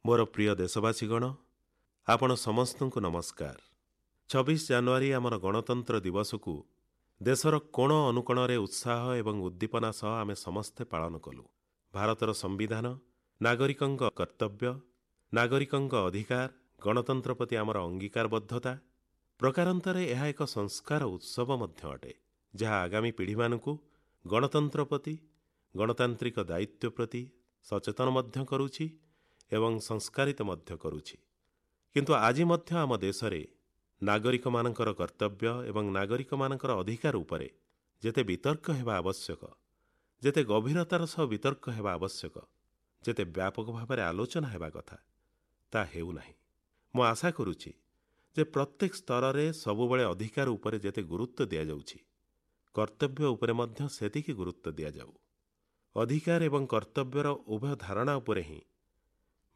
ମୋର ପ୍ରିୟ ଦେଶବାସୀଗଣ, ଆପଣ ସମସ୍ତଙ୍କୁ ନମସ୍କାର। 26 ଜାନୁଆରୀ ଆମର ଗଣତନ୍ତ୍ର ଦିବସକୁ ଦେଶର କୋଣ ଅନୁକୋଣରେ ଉତ୍ସାହ ଏବଂ ଉଦ୍ଦୀପନା ସହ ଆମେ ସମସ୍ତେ ପାଳନ କଲୁ। ଭାରତର ସମ୍ବିଧାନ, ନାଗରିକଙ୍କ କର୍ତ୍ତବ୍ୟ, ନାଗରିକଙ୍କ ଅଧିକାର, ଗଣତନ୍ତ୍ର ପ୍ରତି ଆମର ଅଙ୍ଗୀକାରବଦ୍ଧତା, ପ୍ରକାରାନ୍ତରେ ଏହା ଏକ ସଂସ୍କାର ଉତ୍ସବ ମଧ୍ୟ ଅଟେ, ଯାହା ଆଗାମୀ ପିଢ଼ିମାନଙ୍କୁ ଗଣତନ୍ତ୍ର ପ୍ରତି, ଗଣତାନ୍ତ୍ରିକ ଦାୟିତ୍ୱ ପ୍ରତି ସଚେତନ ମଧ୍ୟ କରୁଛି ଏବଂ ସଂସ୍କାରିତ ମଧ୍ୟ କରୁଛି। କିନ୍ତୁ ଆଜି ମଧ୍ୟ ଆମ ଦେଶରେ ନାଗରିକମାନଙ୍କର କର୍ତ୍ତବ୍ୟ ଏବଂ ନାଗରିକମାନଙ୍କର ଅଧିକାର ଉପରେ ଯେତେ ବିତର୍କ ହେବା ଆବଶ୍ୟକ, ଯେତେ ଗଭୀରତାର ସହ ବିତର୍କ ହେବା ଆବଶ୍ୟକ, ଯେତେ ବ୍ୟାପକ ଭାବରେ ଆଲୋଚନା ହେବା କଥା, ତା ହେଉନାହିଁ। ମୁଁ ଆଶା କରୁଛି ଯେ ପ୍ରତ୍ୟେକ ସ୍ତରରେ ସବୁବେଳେ ଅଧିକାର ଉପରେ ଯେତେ ଗୁରୁତ୍ୱ ଦିଆଯାଉଛି, କର୍ତ୍ତବ୍ୟ ଉପରେ ମଧ୍ୟ ସେତିକି ଗୁରୁତ୍ୱ ଦିଆଯାଉ। ଅଧିକାର ଏବଂ କର୍ତ୍ତବ୍ୟର ଉଭୟ ଧାରଣା ଉପରେ ହିଁ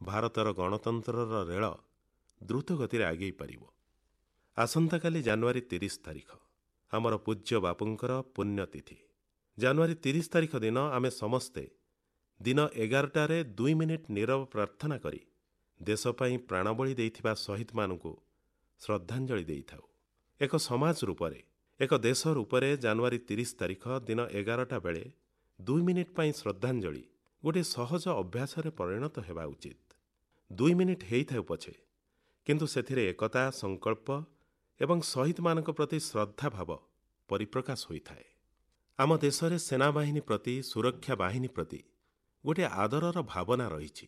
ଭାରତର ଗଣତନ୍ତ୍ରର ରେଳ ଦ୍ରୁତ ଗତିରେ ଆଗେଇ ପାରିବ। ଆସନ୍ତାକାଲି ଜାନୁଆରୀ 30 ତାରିଖ ଆମର ପୂଜ୍ୟ ବାପୁଙ୍କର ପୁଣ୍ୟତିଥି। ଜାନୁଆରୀ 30 ତାରିଖ ଦିନ ଆମେ ସମସ୍ତେ ଦିନ 11ଟାରେ 2 ମିନିଟ୍ ନୀରବ ପ୍ରାର୍ଥନା କରି ଦେଶ ପାଇଁ ପ୍ରାଣବଳି ଦେଇଥିବା ଶହୀଦମାନଙ୍କୁ ଶ୍ରଦ୍ଧାଞ୍ଜଳି ଦେଇଥାଉ। ଏକ ସମାଜ ରୂପରେ, ଏକ ଦେଶ ରୂପରେ ଜାନୁଆରୀ 30 ତାରିଖ ଦିନ 11ଟା ବେଳେ 2 ମିନିଟ୍ ପାଇଁ ଶ୍ରଦ୍ଧାଞ୍ଜଳି ଗୋଟିଏ ସହଜ ଅଭ୍ୟାସରେ ପରିଣତ ହେବା ଉଚିତ। 2 ମିନିଟ୍ ହେଇଥାଉ ପଛେ, କିନ୍ତୁ ସେଥିରେ ଏକତା, ସଂକଳ୍ପ ଏବଂ ଶହୀଦମାନଙ୍କ ପ୍ରତି ଶ୍ରଦ୍ଧା ଭାବ ପରିପ୍ରକାଶ ହୋଇଥାଏ। ଆମ ଦେଶରେ ସେନାବାହିନୀ ପ୍ରତି, ସୁରକ୍ଷା ବାହିନୀ ପ୍ରତି ଗୋଟିଏ ଆଦରର ଭାବନା ରହିଛି।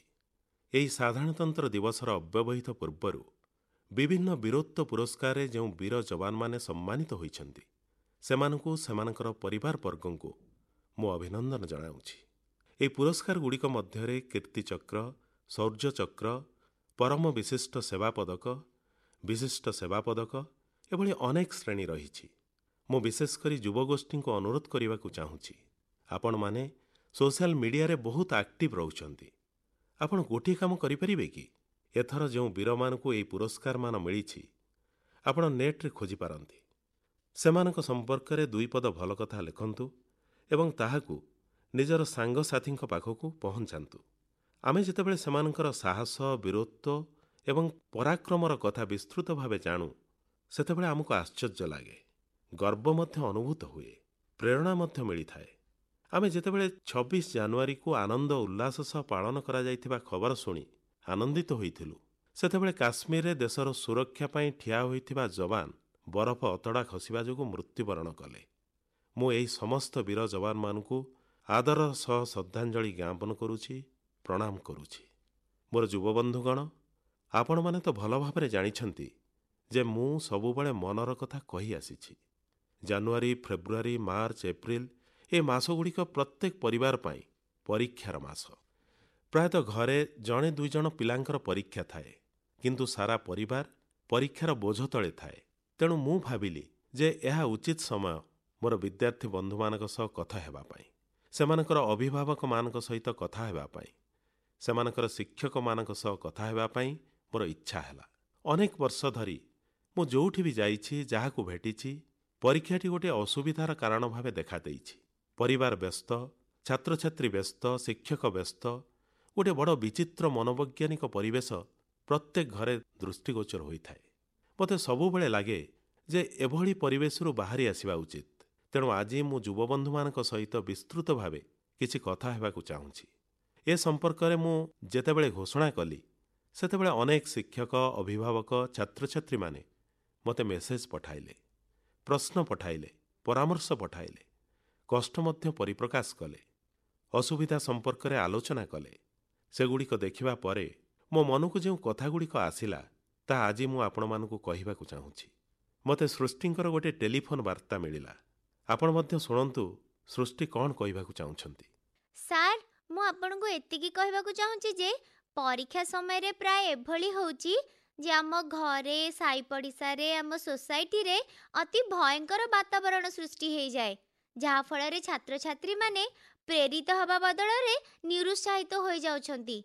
ଏହି ସାଧାରଣତନ୍ତ୍ର ଦିବସର ଅବ୍ୟବହିତ ପୂର୍ବରୁ ବିଭିନ୍ନ ବୀରତ୍ୱ ପୁରସ୍କାରରେ ଯେଉଁ ବୀର ଯବାନମାନେ ସମ୍ମାନିତ ହୋଇଛନ୍ତି, ସେମାନଙ୍କୁ, ସେମାନଙ୍କର ପରିବାର ବର୍ଗଙ୍କୁ ମୁଁ ଅଭିନନ୍ଦନ ଜଣାଉଛି। ଏହି ପୁରସ୍କାରଗୁଡ଼ିକ ମଧ୍ୟରେ କୀର୍ତ୍ତିଚକ୍ର, ଶୌର୍ଯ୍ୟଚକ୍ର, ପରମ ବିଶିଷ୍ଟ ସେବା ପଦକ, ବିଶିଷ୍ଟ ସେବା ପଦକ ଏଭଳି ଅନେକ ଶ୍ରେଣୀ ରହିଛି। ମୁଁ ବିଶେଷ କରି ଯୁବଗୋଷ୍ଠୀଙ୍କୁ ଅନୁରୋଧ କରିବାକୁ ଚାହୁଁଛି, ଆପଣମାନେ ସୋସିଆଲ ମିଡିଆରେ ବହୁତ ଆକ୍ଟିଭ ରହୁଛନ୍ତି। ଆପଣ ଗୋଟିଏ କାମ କରିପାରିବେ କି? ଏଥର ଯେଉଁ ବୀରମାନଙ୍କୁ ଏହି ପୁରସ୍କାରମାନ ମିଳିଛି, ଆପଣ ନେଟ୍ରେ ଖୋଜିପାରନ୍ତି। ସେମାନଙ୍କ ସମ୍ପର୍କରେ 2 ପଦ ଭଲ କଥା ଲେଖନ୍ତୁ ଏବଂ ତାହାକୁ ନିଜର ସାଙ୍ଗସାଥୀଙ୍କ ପାଖକୁ ପହଞ୍ଚାନ୍ତୁ। ଆମେ ଯେତେବେଳେ ସେମାନଙ୍କର ସାହସ, ବୀରତ୍ୱ ଏବଂ ପରାକ୍ରମର କଥା ବିସ୍ତୃତ ଭାବେ ଜାଣୁ, ସେତେବେଳେ ଆମକୁ ଆଶ୍ଚର୍ଯ୍ୟ ଲାଗେ, ଗର୍ବ ମଧ୍ୟ ଅନୁଭୂତ ହୁଏ, ପ୍ରେରଣା ମଧ୍ୟ ମିଳିଥାଏ। ଆମେ ଯେତେବେଳେ 26 ଜାନୁଆରୀକୁ ଆନନ୍ଦ ଉଲ୍ଲାସ ସହ ପାଳନ କରାଯାଇଥିବା ଖବର ଶୁଣି ଆନନ୍ଦିତ ହୋଇଥିଲୁ, ସେତେବେଳେ କାଶ୍ମୀରରେ ଦେଶର ସୁରକ୍ଷା ପାଇଁ ଠିଆ ହୋଇଥିବା ଯବାନ ବରଫ ଅତଡ଼ା ଖସିବା ଯୋଗୁଁ ମୃତ୍ୟୁବରଣ କଲେ। ମୁଁ ଏହି ସମସ୍ତ ବୀର ଯବାନମାନଙ୍କୁ ଆଦର ସହ ଶ୍ରଦ୍ଧାଞ୍ଜଳି ଜ୍ଞାପନ କରୁଛି, ପ୍ରଣାମ କରୁଛି। ମୋର ଯୁବବନ୍ଧୁଗଣ, ଆପଣମାନେ ତ ଭଲ ଭାବରେ ଜାଣିଛନ୍ତି ଯେ ମୁଁ ସବୁବେଳେ ମନର କଥା କହି ଆସିଛି। ଜାନୁଆରୀ, ଫେବୃଆରୀ, ମାର୍ଚ୍ଚ, ଏପ୍ରିଲ ଏ ମାସଗୁଡ଼ିକ ପ୍ରତ୍ୟେକ ପରିବାର ପାଇଁ ପରୀକ୍ଷାର ମାସ। ପ୍ରାୟତଃ ଘରେ 1-2 ଜଣ ପିଲାଙ୍କର ପରୀକ୍ଷା ଥାଏ, କିନ୍ତୁ ସାରା ପରିବାର ପରୀକ୍ଷାର ବୋଝ ତଳେ ଥାଏ। ତେଣୁ ମୁଁ ଭାବିଲି ଯେ ଏହା ଉଚିତ ସମୟ ମୋର ବିଦ୍ୟାର୍ଥୀ ବନ୍ଧୁମାନଙ୍କ ସହ କଥା ହେବା ପାଇଁ, ସେମାନଙ୍କର ଅଭିଭାବକମାନଙ୍କ ସହିତ କଥା ହେବା ପାଇଁ, ସେମାନଙ୍କର ଶିକ୍ଷକମାନଙ୍କ ସହ କଥା ହେବା ପାଇଁ ମୋର ଇଚ୍ଛା ହେଲା। ଅନେକ ବର୍ଷ ଧରି ମୁଁ ଯେଉଁଠି ବି ଯାଇଛି, ଯାହାକୁ ଭେଟିଛି, ପରୀକ୍ଷାଟି ଗୋଟିଏ ଅସୁବିଧାର କାରଣ ଭାବେ ଦେଖାଦେଇଛି। ପରିବାର ବ୍ୟସ୍ତ, ଛାତ୍ରଛାତ୍ରୀ ବ୍ୟସ୍ତ, ଶିକ୍ଷକ ବ୍ୟସ୍ତ, ଗୋଟିଏ ବଡ଼ ବିଚିତ୍ର ମନୋବୈଜ୍ଞାନିକ ପରିବେଶ ପ୍ରତ୍ୟେକ ଘରେ ଦୃଷ୍ଟିଗୋଚର ହୋଇଥାଏ। ମୋତେ ସବୁବେଳେ ଲାଗେ ଯେ ଏଭଳି ପରିବେଶରୁ ବାହାରି ଆସିବା ଉଚିତ। ତେଣୁ ଆଜି ମୁଁ ଯୁବବନ୍ଧୁମାନଙ୍କ ସହିତ ବିସ୍ତୃତ ଭାବେ କିଛି କଥା ହେବାକୁ ଚାହୁଁଛି। ଏ ସମ୍ପର୍କରେ ମୁଁ ଯେତେବେଳେ ଘୋଷଣା କଲି, ସେତେବେଳେ ଅନେକ ଶିକ୍ଷକ, ଅଭିଭାବକ, ଛାତ୍ରଛାତ୍ରୀମାନେ ମୋତେ ମେସେଜ ପଠାଇଲେ, ପ୍ରଶ୍ନ ପଠାଇଲେ, ପରାମର୍ଶ ପଠାଇଲେ, କଷ୍ଟ ମଧ୍ୟ ପରିପ୍ରକାଶ କଲେ, ଅସୁବିଧା ସମ୍ପର୍କରେ ଆଲୋଚନା କଲେ। ସେଗୁଡ଼ିକ ଦେଖିବା ପରେ ମୋ ମନକୁ ଯେଉଁ କଥାଗୁଡ଼ିକ ଆସିଲା, ତାହା ଆଜି ମୁଁ ଆପଣମାନଙ୍କୁ କହିବାକୁ ଚାହୁଁଛି। ମୋତେ ସୃଷ୍ଟିଙ୍କର ଗୋଟିଏ ଟେଲିଫୋନ୍ ବାର୍ତ୍ତା ମିଳିଲା। ଆପଣ ମଧ୍ୟ ଶୁଣନ୍ତୁ ସୃଷ୍ଟି କ'ଣ କହିବାକୁ ଚାହୁଁଛନ୍ତି। ସାର୍, ମୁଁ ଆପଣଙ୍କୁ ଏତିକି କହିବାକୁ ଚାହୁଁଛି ଯେ ପରୀକ୍ଷା ସମୟରେ ପ୍ରାୟ ଏଭଳି ହେଉଛି ଯେ ଆମ ଘରେ, ସାଇ ପଡ଼ିଶାରେ, ଆମ ସୋସାଇଟିରେ ଅତି ଭୟଙ୍କର ବାତାବରଣ ସୃଷ୍ଟି ହେଇଯାଏ, ଯାହାଫଳରେ ଛାତ୍ରଛାତ୍ରୀମାନେ ପ୍ରେରିତ ହେବା ବଦଳରେ ନିରୁତ୍ସାହିତ ହୋଇଯାଉଛନ୍ତି।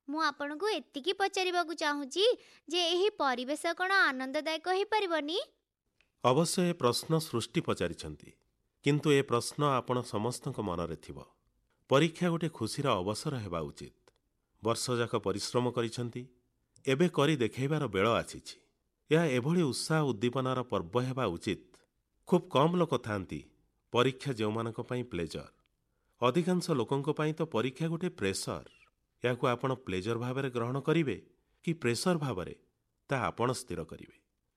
ମୁଁ ଆପଣଙ୍କୁ ଏତିକି ପଚାରିବାକୁ ଚାହୁଁଛି ଯେ ଏହି ପରିବେଶ କ'ଣ ଆନନ୍ଦଦାୟକ ହୋଇପାରିବନି? ଅବଶ୍ୟ ଏ ପ୍ରଶ୍ନ ସୃଷ୍ଟି ପଚାରିଛନ୍ତି, କିନ୍ତୁ ଏ ପ୍ରଶ୍ନ ଆପଣ ସମସ୍ତଙ୍କ ମନରେ ଥିବ। ପରୀକ୍ଷା ଗୋଟିଏ ଖୁସିର ଅବସର ହେବା ଉଚିତ। ବର୍ଷଯାକ ପରିଶ୍ରମ କରିଛନ୍ତି, ଏବେ କରି ଦେଖାଇବାର ବେଳ ଆସିଛି। ଏହା ଏଭଳି ଉତ୍ସାହ ଉଦ୍ଦୀପନାର ପର୍ବ ହେବା ଉଚିତ। ଖୁବ୍ କମ୍ ଲୋକ ଥାନ୍ତି ପରୀକ୍ଷା ଯେଉଁମାନଙ୍କ ପାଇଁ ପ୍ଲେଜର। ଅଧିକାଂଶ ଲୋକଙ୍କ ପାଇଁ ତ ପରୀକ୍ଷା ଗୋଟେ ପ୍ରେସର। ଏହାକୁ ଆପଣ ପ୍ଲେଜର ଭାବରେ ଗ୍ରହଣ କରିବେ କି ପ୍ରେସର ଭାବରେ, ତାହା ଆପଣ ସ୍ଥିର କରିବେ।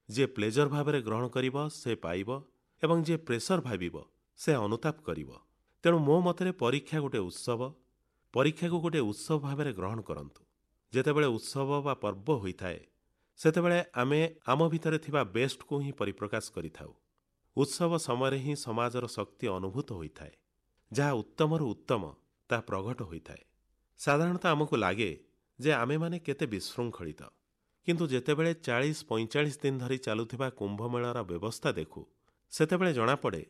ଯିଏ ପ୍ଲେଜର ଭାବରେ ଗ୍ରହଣ କରିବ ସେ ପାଇବ ଏବଂ ଯିଏ ପ୍ରେସର ଭାବିବ ସେ ଅନୁତାପ କରିବ। ତେଣୁ ମୋ ମତରେ ପରୀକ୍ଷା ଗୋଟେ ଉତ୍ସବ। ପରୀକ୍ଷାକୁ ଗୋଟେ ଉତ୍ସବ ଭାବରେ ଗ୍ରହଣ କରନ୍ତୁ। ଯେତେବେଳେ ଉତ୍ସବ ବା ପର୍ବ ହୋଇଥାଏ, ସେତେବେଳେ ଆମେ ଆମ ଭିତରେ ଥିବା ବେଷ୍ଟକୁ ହିଁ ପରିପ୍ରକାଶ କରିଥାଉ। ଉତ୍ସବ ସମୟରେ ହିଁ ସମାଜର ଶକ୍ତି ଅନୁଭୂତ ହୋଇଥାଏ। ଯାହା ଉତ୍ତମରୁ ଉତ୍ତମ ତାହା ପ୍ରଘଟ ହୋଇଥାଏ। ସାଧାରଣତଃ ଆମକୁ ଲାଗେ ଯେ ଆମେମାନେ କେତେ ବିଶୃଙ୍ଖଳିତ, କିନ୍ତୁ ଯେତେବେଳେ 40-45 ଦିନ ଧରି ଚାଲୁଥିବା କୁମ୍ଭମେଳାର ବ୍ୟବସ୍ଥା ଦେଖୁ, ସେତେବେଳେ ଜଣାପଡ଼େ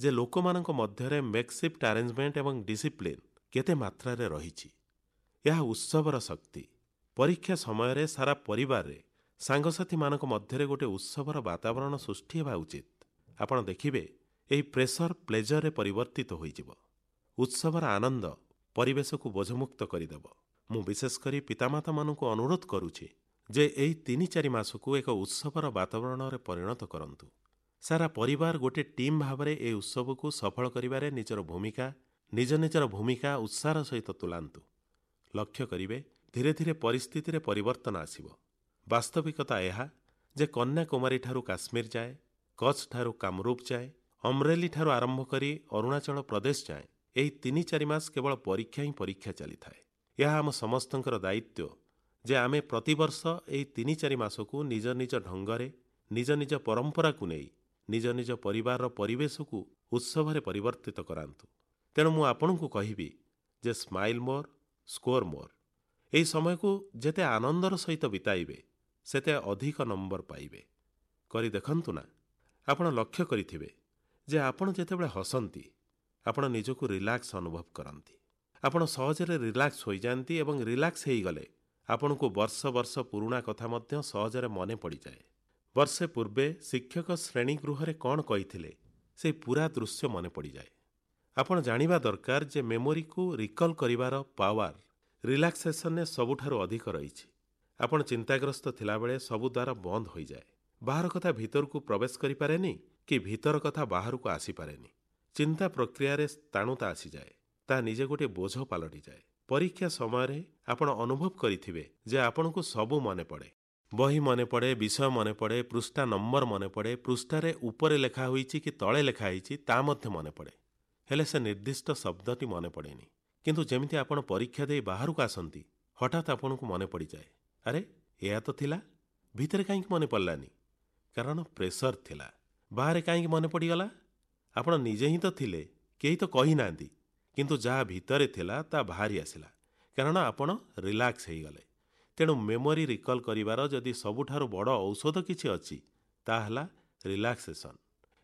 ଯେ ଲୋକମାନଙ୍କ ମଧ୍ୟରେ ମେକସିଫ୍ଟ ଆରେଞ୍ଜମେଣ୍ଟ ଏବଂ ଡିସିପ୍ଲିନ୍ କେତେ ମାତ୍ରାରେ ରହିଛି। ଏହା ଉତ୍ସବର ଶକ୍ତି। ପରୀକ୍ଷା ସମୟରେ ସାରା ପରିବାରରେ ସାଙ୍ଗସାଥୀମାନଙ୍କ ମଧ୍ୟରେ ଗୋଟେ ଉତ୍ସବର ବାତାବରଣ ସୃଷ୍ଟି ହେବା ଉଚିତ। ଆପଣ ଦେଖିବେ ଏହି ପ୍ରେସର ପ୍ଲେଜରରେ ପରିବର୍ତ୍ତିତ ହୋଇଯିବ। ଉତ୍ସବର ଆନନ୍ଦ ପରିବେଶକୁ ବୋଝମୁକ୍ତ କରିଦେବ। ମୁଁ ବିଶେଷ କରି ପିତାମାତାମାନଙ୍କୁ ଅନୁରୋଧ କରୁଛି ଯେ ଏହି 3-4 ମାସକୁ ଏକ ଉତ୍ସବର ବାତାବରଣରେ ପରିଣତ କରନ୍ତୁ। ସାରା ପରିବାର ଗୋଟେ ଟିମ୍ ଭାବରେ ଏହି ଉତ୍ସବକୁ ସଫଳ କରିବାରେ ନିଜର ଭୂମିକା, ନିଜ ନିଜର ଭୂମିକା ଉତ୍ସାହର ସହିତ ତୁଲାନ୍ତୁ। ଲକ୍ଷ୍ୟ କରିବେ ଧୀରେ ଧୀରେ ପରିସ୍ଥିତିରେ ପରିବର୍ତ୍ତନ ଆସିବ। ବାସ୍ତବିକତା ଏହା ଯେ କନ୍ୟାକୁମାରୀଠାରୁ କାଶ୍ମୀର ଯାଏ, କଚ୍ଛଠାରୁ କାମରୂପ ଯାଏ, ଅମ୍ରେଲିଠାରୁ ଆରମ୍ଭ କରି ଅରୁଣାଚଳ ପ୍ରଦେଶ ଯାଏ ଏହି 3-4 ମାସ କେବଳ ପରୀକ୍ଷା ହିଁ ପରୀକ୍ଷା ଚାଲିଥାଏ। ଏହା ଆମ ସମସ୍ତଙ୍କର ଦାୟିତ୍ୱ ଯେ ଆମେ ପ୍ରତିବର୍ଷ ଏହି 3-4 ମାସକୁ ନିଜ ନିଜ ଢଙ୍ଗରେ, ନିଜ ନିଜ ପରମ୍ପରାକୁ ନେଇ ନିଜ ନିଜ ପରିବାରର ପରିବେଶକୁ ଉତ୍ସବରେ ପରିବର୍ତ୍ତିତ କରାନ୍ତୁ। ତେଣୁ ମୁଁ ଆପଣଙ୍କୁ କହିବି ଯେ ସ୍ମାଇଲ୍ ମୋର୍, ସ୍କୋର ମୋର୍। ଏହି ସମୟକୁ ଯେତେ ଆନନ୍ଦର ସହିତ ବିତାଇବେ ସେତେ ଅଧିକ ନମ୍ବର ପାଇବେ। କରି ଦେଖନ୍ତୁ ନା, ଆପଣ ଲକ୍ଷ୍ୟ କରିଥିବେ ଯେ ଆପଣ ଯେତେବେଳେ ହସନ୍ତି ଆପଣ ନିଜକୁ ରିଲାକ୍ସ ଅନୁଭବ କରନ୍ତି। ଆପଣ ସହଜରେ ରିଲାକ୍ସ ହୋଇଯାଆନ୍ତି ଏବଂ ରିଲାକ୍ସ ହୋଇଗଲେ ଆପଣଙ୍କୁ ବର୍ଷ ବର୍ଷ ପୁରୁଣା କଥା ମଧ୍ୟ ସହଜରେ ମନେ ପଡ଼ିଯାଏ। ବର୍ଷେ ପୂର୍ବେ ଶିକ୍ଷକ ଶ୍ରେଣୀଗୃହରେ କ'ଣ କହିଥିଲେ ସେ ପୁରା ଦୃଶ୍ୟ ମନେ ପଡ଼ିଯାଏ। ଆପଣ ଜାଣିବା ଦରକାର ଯେ ମେମୋରିକୁ ରିକଲ୍ କରିବାର ପାୱାର ରିଲାକ୍ସେସନରେ ସବୁଠାରୁ ଅଧିକ ରହିଛି। ଆପଣ ଚିନ୍ତାଗ୍ରସ୍ତ ଥିଲାବେଳେ ସବୁ ଦ୍ୱାର ବନ୍ଦ ହୋଇଯାଏ। ବାହାର କଥା ଭିତରକୁ ପ୍ରବେଶ କରିପାରେନି କି ଭିତର କଥା ବାହାରକୁ ଆସିପାରେନି। ଚିନ୍ତା ପ୍ରକ୍ରିୟାରେ ସ୍ଥାଣୁତା ଆସିଯାଏ, ତାହା ନିଜେ ଗୋଟିଏ ବୋଝ ପାଲଟିଯାଏ। ପରୀକ୍ଷା ସମୟରେ ଆପଣ ଅନୁଭବ କରିଥିବେ ଯେ ଆପଣଙ୍କୁ ସବୁ ମନେ ପଡ଼େ। ବହି ମନେ ପଡ଼େ, ବିଷୟ ମନେ ପଡ଼େ, ପୃଷ୍ଠା ନମ୍ବର ମନେ ପଡ଼େ, ପୃଷ୍ଠାରେ ଉପରେ ଲେଖା ହୋଇଛି କି ତଳେ ଲେଖା ହେଇଛି ତା ମଧ୍ୟ ମନେ ପଡ଼େ। ହେଲେ ସେ ନିର୍ଦ୍ଦିଷ୍ଟ ଶବ୍ଦଟି ମନେ ପଡ଼େନି। କିନ୍ତୁ ଯେମିତି ଆପଣ ପରୀକ୍ଷା ଦେଇ ବାହାରକୁ ଆସନ୍ତି, ହଠାତ୍ ଆପଣଙ୍କୁ ମନେ ପଡ଼ିଯାଏ, ଆରେ ଏହା ତ ଥିଲା, ଭିତରେ କାହିଁକି ମନେ ପଡ଼ିଲାନି? କାରଣ ପ୍ରେସର ଥିଲା। ବାହାରେ କାହିଁକି ମନେ ପଡ଼ିଗଲା? ଆପଣ ନିଜେ ହିଁ ତ ଥିଲେ, କେହି ତ କହିନାହାନ୍ତି, କିନ୍ତୁ ଯାହା ଭିତରେ ଥିଲା ତା ବାହାରି ଆସିଲା, କାରଣ ଆପଣ ରିଲାକ୍ସ ହେଇଗଲେ। ତେଣୁ ମେମୋରି ରିକଲ୍ କରିବାର ଯଦି ସବୁଠାରୁ ବଡ଼ ଔଷଧ କିଛି ଅଛି, ତାହା ହେଲା ରିଲାକ୍ସେସନ୍।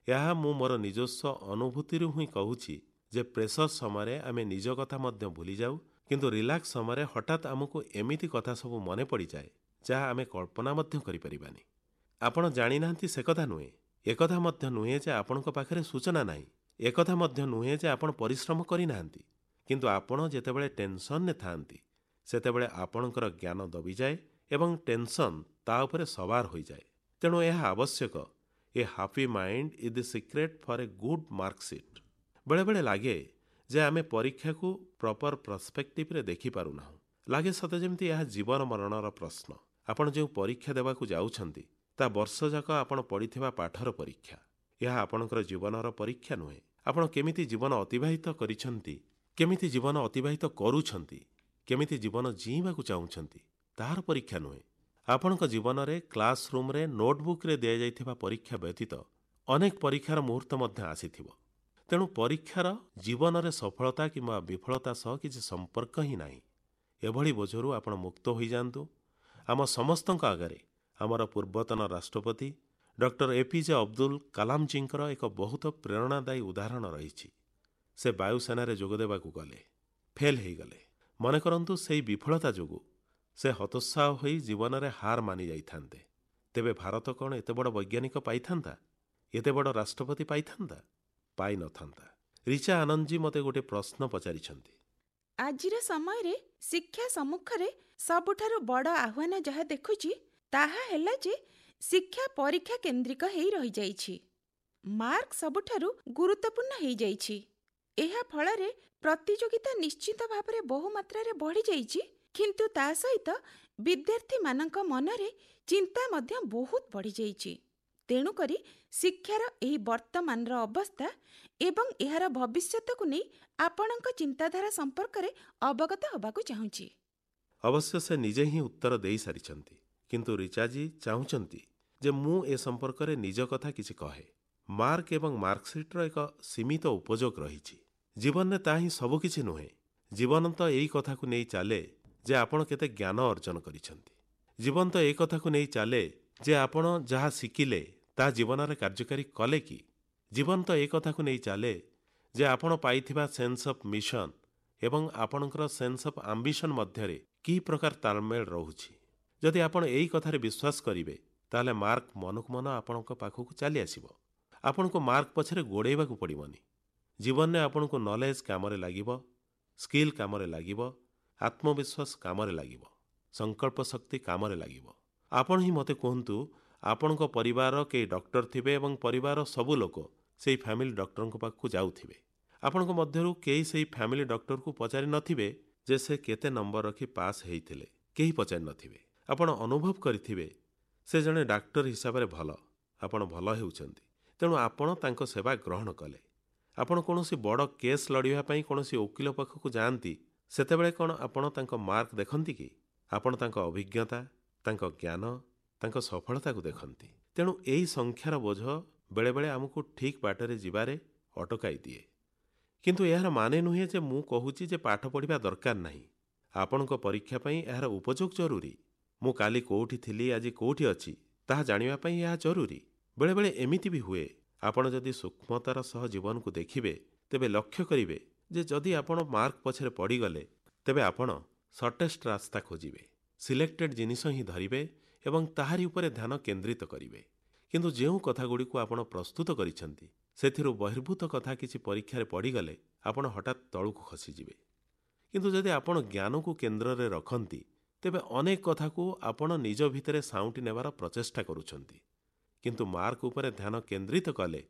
ଏହା ମୁଁ ମୋର ନିଜସ୍ୱ ଅନୁଭୂତିରୁ ହିଁ କହୁଛି ଯେ ପ୍ରେସର ସମୟରେ ଆମେ ନିଜ କଥା ମଧ୍ୟ ଭୁଲିଯାଉ, କିନ୍ତୁ ରିଲାକ୍ସ ସମୟରେ ହଠାତ୍ ଆମକୁ ଏମିତି କଥା ସବୁ ମନେ ପଡ଼ିଯାଏ ଯାହା ଆମେ କଳ୍ପନା ମଧ୍ୟ କରିପାରିବାନି। ଆପଣ ଜାଣିନାହାନ୍ତି ସେ କଥା ନୁହେଁ, ଏକଥା ମଧ୍ୟ ନୁହେଁ ଯେ ଆପଣଙ୍କ ପାଖରେ ସୂଚନା ନାହିଁ, ଏକଥା ମଧ୍ୟ ନୁହେଁ ଯେ ଆପଣ ପରିଶ୍ରମ କରିନାହାନ୍ତି, କିନ୍ତୁ ଆପଣ ଯେତେବେଳେ ଟେନସନ୍ରେ ଥାଆନ୍ତି ସେତେବେଳେ ଆପଣଙ୍କର ଜ୍ଞାନ ଦବିଯାଏ ଏବଂ ଟେନସନ୍ ତା ଉପରେ ସବାର ହୋଇଯାଏ। ତେଣୁ ଏହା ଆବଶ୍ୟକ। A happy mind is the secret for a good marksheet. ବେଳେବେଳେ ଲାଗେ ଯେ ଆମେ ପରୀକ୍ଷାକୁ ପ୍ରପର ପ୍ରସ୍ପେକ୍ଟିଭରେ ଦେଖିପାରୁନାହୁଁ। ଲାଗେ ସତେ ଯେମିତି ଏହା ଜୀବନ ମରଣର ପ୍ରଶ୍ନ। ଆପଣ ଯେଉଁ ପରୀକ୍ଷା ଦେବାକୁ ଯାଉଛନ୍ତି ତା ବର୍ଷଯାକ ଆପଣ ପଢ଼ିଥିବା ପାଠର ପରୀକ୍ଷା। ଏହା ଆପଣଙ୍କର ଜୀବନର ପରୀକ୍ଷା ନୁହେଁ। ଆପଣ କେମିତି ଜୀବନ ଅତିବାହିତ କରିଛନ୍ତି, କେମିତି ଜୀବନ ଅତିବାହିତ କରୁଛନ୍ତି, କେମିତି ଜୀବନ ଜିଇଁବାକୁ ଚାହୁଁଛନ୍ତି ତାହାର ପରୀକ୍ଷା ନୁହେଁ। ଆପଣଙ୍କ ଜୀବନରେ କ୍ଲାସ୍ ରୁମ୍ରେ ନୋଟବୁକ୍ରେ ଦିଆଯାଇଥିବା ପରୀକ୍ଷା ବ୍ୟତୀତ ଅନେକ ପରୀକ୍ଷାର ମୁହୂର୍ତ୍ତ ମଧ୍ୟ ଆସିଥିବ। ତେଣୁ ପରୀକ୍ଷାର ଜୀବନରେ ସଫଳତା କିମ୍ବା ବିଫଳତା ସହ କିଛି ସମ୍ପର୍କ ହିଁ ନାହିଁ। ଏଭଳି ବୋଝରୁ ଆପଣ ମୁକ୍ତ ହୋଇଯାଆନ୍ତୁ। ଆମ ସମସ୍ତଙ୍କ ଆଗରେ ଆମର ପୂର୍ବତନ ରାଷ୍ଟ୍ରପତି ଡକ୍ଟର ଏପିଜେ ଅବଦୁଲ କାଲାମଜୀଙ୍କର ଏକ ବହୁତ ପ୍ରେରଣାଦାୟୀ ଉଦାହରଣ ରହିଛି। ସେ ବାୟୁସେନାରେ ଯୋଗଦେବାକୁ ଗଲେ, ଫେଲ୍ ହୋଇଗଲେ। ମନେ କରନ୍ତୁ ସେହି ବିଫଳତା ଯୋଗୁଁ ସେ ହତୋତ୍ସାହ ହୋଇ ଜୀବନରେ ହାର ମାନି ଯାଇଥାନ୍ତେ, ତେବେ ଭାରତ କ'ଣ ଏତେ ବଡ଼ ବୈଜ୍ଞାନିକ ପାଇଥାନ୍ତା? ଏତେ ବଡ଼ ରାଷ୍ଟ୍ରପତି ପାଇଥାନ୍ତା? ପାଇନଥାନ୍ତା। ରିଚା ଆନନ୍ଦଜୀ ମୋତେ ଗୋଟେ ପ୍ରଶ୍ନ ପଚାରିଛନ୍ତି। ଆଜିର ସମୟରେ ଶିକ୍ଷା ସମ୍ମୁଖରେ ସବୁଠାରୁ ବଡ଼ ଆହ୍ୱାନ ଯାହା ଦେଖୁଛି, ତାହା ହେଲା ଯେ ଶିକ୍ଷା ପରୀକ୍ଷା କେନ୍ଦ୍ରିକ ହେଇ ରହିଯାଇଛି। ମାର୍କ ସବୁଠାରୁ ଗୁରୁତ୍ୱପୂର୍ଣ୍ଣ ହେଇଯାଇଛି। ଏହା ଫଳରେ ପ୍ରତିଯୋଗିତା ନିଶ୍ଚିତ ଭାବରେ ବହୁ ମାତ୍ରାରେ ବଢ଼ିଯାଇଛି, କିନ୍ତୁ ତା ସହିତ ବିଦ୍ୟାର୍ଥୀମାନଙ୍କ ମନରେ ଚିନ୍ତା ମଧ୍ୟ ବହୁତ ବଢ଼ିଯାଇଛି। ତେଣୁକରି ଶିକ୍ଷାର ଏହି ବର୍ତ୍ତମାନର ଅବସ୍ଥା ଏବଂ ଏହାର ଭବିଷ୍ୟତକୁ ନେଇ ଆପଣଙ୍କ ଚିନ୍ତାଧାରା ସମ୍ପର୍କରେ ଅବଗତ ହେବାକୁ ଚାହୁଁଛି। ଅବଶ୍ୟ ସେ ନିଜେ ହିଁ ଉତ୍ତର ଦେଇସାରିଛନ୍ତି, କିନ୍ତୁ ରିଚାଜୀ ଚାହୁଁଛନ୍ତି ଯେ ମୁଁ ଏ ସମ୍ପର୍କରେ ନିଜ କଥା କିଛି କହେ। ମାର୍କ ଏବଂ ମାର୍କସିଟ୍ର ଏକ ସୀମିତ ଉପଯୋଗ ରହିଛି। ଜୀବନରେ ତାହା ହିଁ ସବୁକିଛି ନୁହେଁ। ଜୀବନ ତ ଏଇ କଥାକୁ ନେଇ ଚାଲେ ଯେ ଆପଣ କେତେ ଜ୍ଞାନ ଅର୍ଜନ କରିଛନ୍ତି। ଜୀବନ ତ ଏ କଥାକୁ ନେଇ ଚାଲେ ଯେ ଆପଣ ଯାହା ଶିଖିଲେ ତାହା ଜୀବନରେ କାର୍ଯ୍ୟକାରୀ କଲେ କି। ଜୀବନ ତ ଏ କଥାକୁ ନେଇ ଚାଲେ ଯେ ଆପଣ ପାଇଥିବା ସେନ୍ସ ଅଫ୍ ମିଶନ ଏବଂ ଆପଣଙ୍କର ସେନ୍ସ ଅଫ୍ ଆମ୍ବିସନ୍ ମଧ୍ୟରେ କି ପ୍ରକାର ତାଳମେଳ ରହୁଛି। ଯଦି ଆପଣ ଏଇ କଥାରେ ବିଶ୍ୱାସ କରିବେ, ତାହେଲେ ମାର୍କ ମନକୁ ମନ ଆପଣଙ୍କ ପାଖକୁ ଚାଲି ଆସିବ। ଆପଣଙ୍କୁ ମାର୍କ ପଛରେ ଗୋଡ଼େଇବାକୁ ପଡ଼ିବନି। ଜୀବନରେ ଆପଣଙ୍କୁ ନଲେଜ କାମରେ ଲାଗିବ, ସ୍କିଲ୍ କାମରେ ଲାଗିବ, ଆତ୍ମବିଶ୍ୱାସ କାମରେ ଲାଗିବ, ସଂକଳ୍ପ ଶକ୍ତି କାମରେ ଲାଗିବ। ଆପଣ ହିଁ ମୋତେ କୁହନ୍ତୁ, ଆପଣଙ୍କ ପରିବାରର କେହି ଡକ୍ଟର ଥିବେ ଏବଂ ପରିବାରର ସବୁ ଲୋକ ସେଇ ଫ୍ୟାମିଲି ଡକ୍ଟରଙ୍କ ପାଖକୁ ଯାଉଥିବେ। ଆପଣଙ୍କ ମଧ୍ୟରୁ କେହି ସେଇ ଫ୍ୟାମିଲି ଡକ୍ଟରକୁ ପଚାରି ନଥିବେ ଯେ ସେ କେତେ ନମ୍ବର ରଖି ପାସ୍ ହେଇଥିଲେ। କେହି ପଚାରି ନଥିବେ। ଆପଣ ଅନୁଭବ କରିଥିବେ ସେ ଜଣେ ଡାକ୍ତର ହିସାବରେ ଭଲ, ଆପଣ ଭଲ ହେଉଛନ୍ତି, ତେଣୁ ଆପଣ ତାଙ୍କ ସେବା ଗ୍ରହଣ କଲେ। ଆପଣ କୌଣସି ବଡ଼ କେସ୍ ଲଢ଼ିବା ପାଇଁ କୌଣସି ଓକିଲ ପାଖକୁ ଯାଆନ୍ତି, ସେତେବେଳେ କ'ଣ ଆପଣ ତାଙ୍କ ମାର୍କ ଦେଖନ୍ତି କି? ଆପଣ ତାଙ୍କ ଅଭିଜ୍ଞତା, ତାଙ୍କ ଜ୍ଞାନ, ତାଙ୍କ ସଫଳତାକୁ ଦେଖନ୍ତି। ତେଣୁ ଏହି ସଂଖ୍ୟାର ବୋଝ ବେଳେବେଳେ ଆମକୁ ଠିକ୍ ବାଟରେ ଯିବାରେ ଅଟକାଇ ଦିଏ। କିନ୍ତୁ ଏହାର ମାନେ ନୁହେଁ ଯେ ମୁଁ କହୁଛି ଯେ ପାଠ ପଢ଼ିବା ଦରକାର ନାହିଁ। ଆପଣଙ୍କ ପରୀକ୍ଷା ପାଇଁ ଏହାର ଉପଯୋଗ ଜରୁରୀ। ମୁଁ କାଲି କୋଉଠି ଥିଲି, ଆଜି କୋଉଠି ଅଛି, ତାହା ଜାଣିବା ପାଇଁ ଏହା ଜରୁରୀ। ବେଳେବେଳେ ଏମିତି ବି ହୁଏ, ଆପଣ ଯଦି ସୂକ୍ଷ୍ମତାର ସହ ଜୀବନକୁ ଦେଖିବେ, ତେବେ ଲକ୍ଷ୍ୟ କରିବେ ଯେ ଯଦି ଆପଣ ମାର୍କ ପଛରେ ପଡ଼ିଗଲେ, ତେବେ ଆପଣ ସର୍ଟେଷ୍ଟ ରାସ୍ତା ଖୋଜିବେ, ସିଲେକ୍ଟେଡ୍ ଜିନିଷ ହିଁ ଧରିବେ ଏବଂ ତାହାରି ଉପରେ ଧ୍ୟାନ କେନ୍ଦ୍ରିତ କରିବେ। କିନ୍ତୁ ଯେଉଁ କଥାଗୁଡ଼ିକୁ ଆପଣ ପ୍ରସ୍ତୁତ କରିଛନ୍ତି, ସେଥିରୁ ବହିର୍ଭୂତ କଥା କିଛି ପରୀକ୍ଷାରେ ପଡ଼ିଗଲେ ଆପଣ ହଠାତ୍ ତଳକୁ ଖସିଯିବେ। କିନ୍ତୁ ଯଦି ଆପଣ ଜ୍ଞାନକୁ କେନ୍ଦ୍ରରେ ରଖନ୍ତି, ତେବେ ଅନେକ କଥାକୁ ଆପଣ ନିଜ ଭିତରେ ସାଉଁଟି ନେବାର ପ୍ରଚେଷ୍ଟା କରୁଛନ୍ତି। କିନ୍ତୁ ମାର୍କ ଉପରେ ଧ୍ୟାନ କେନ୍ଦ୍ରିତ କଲେ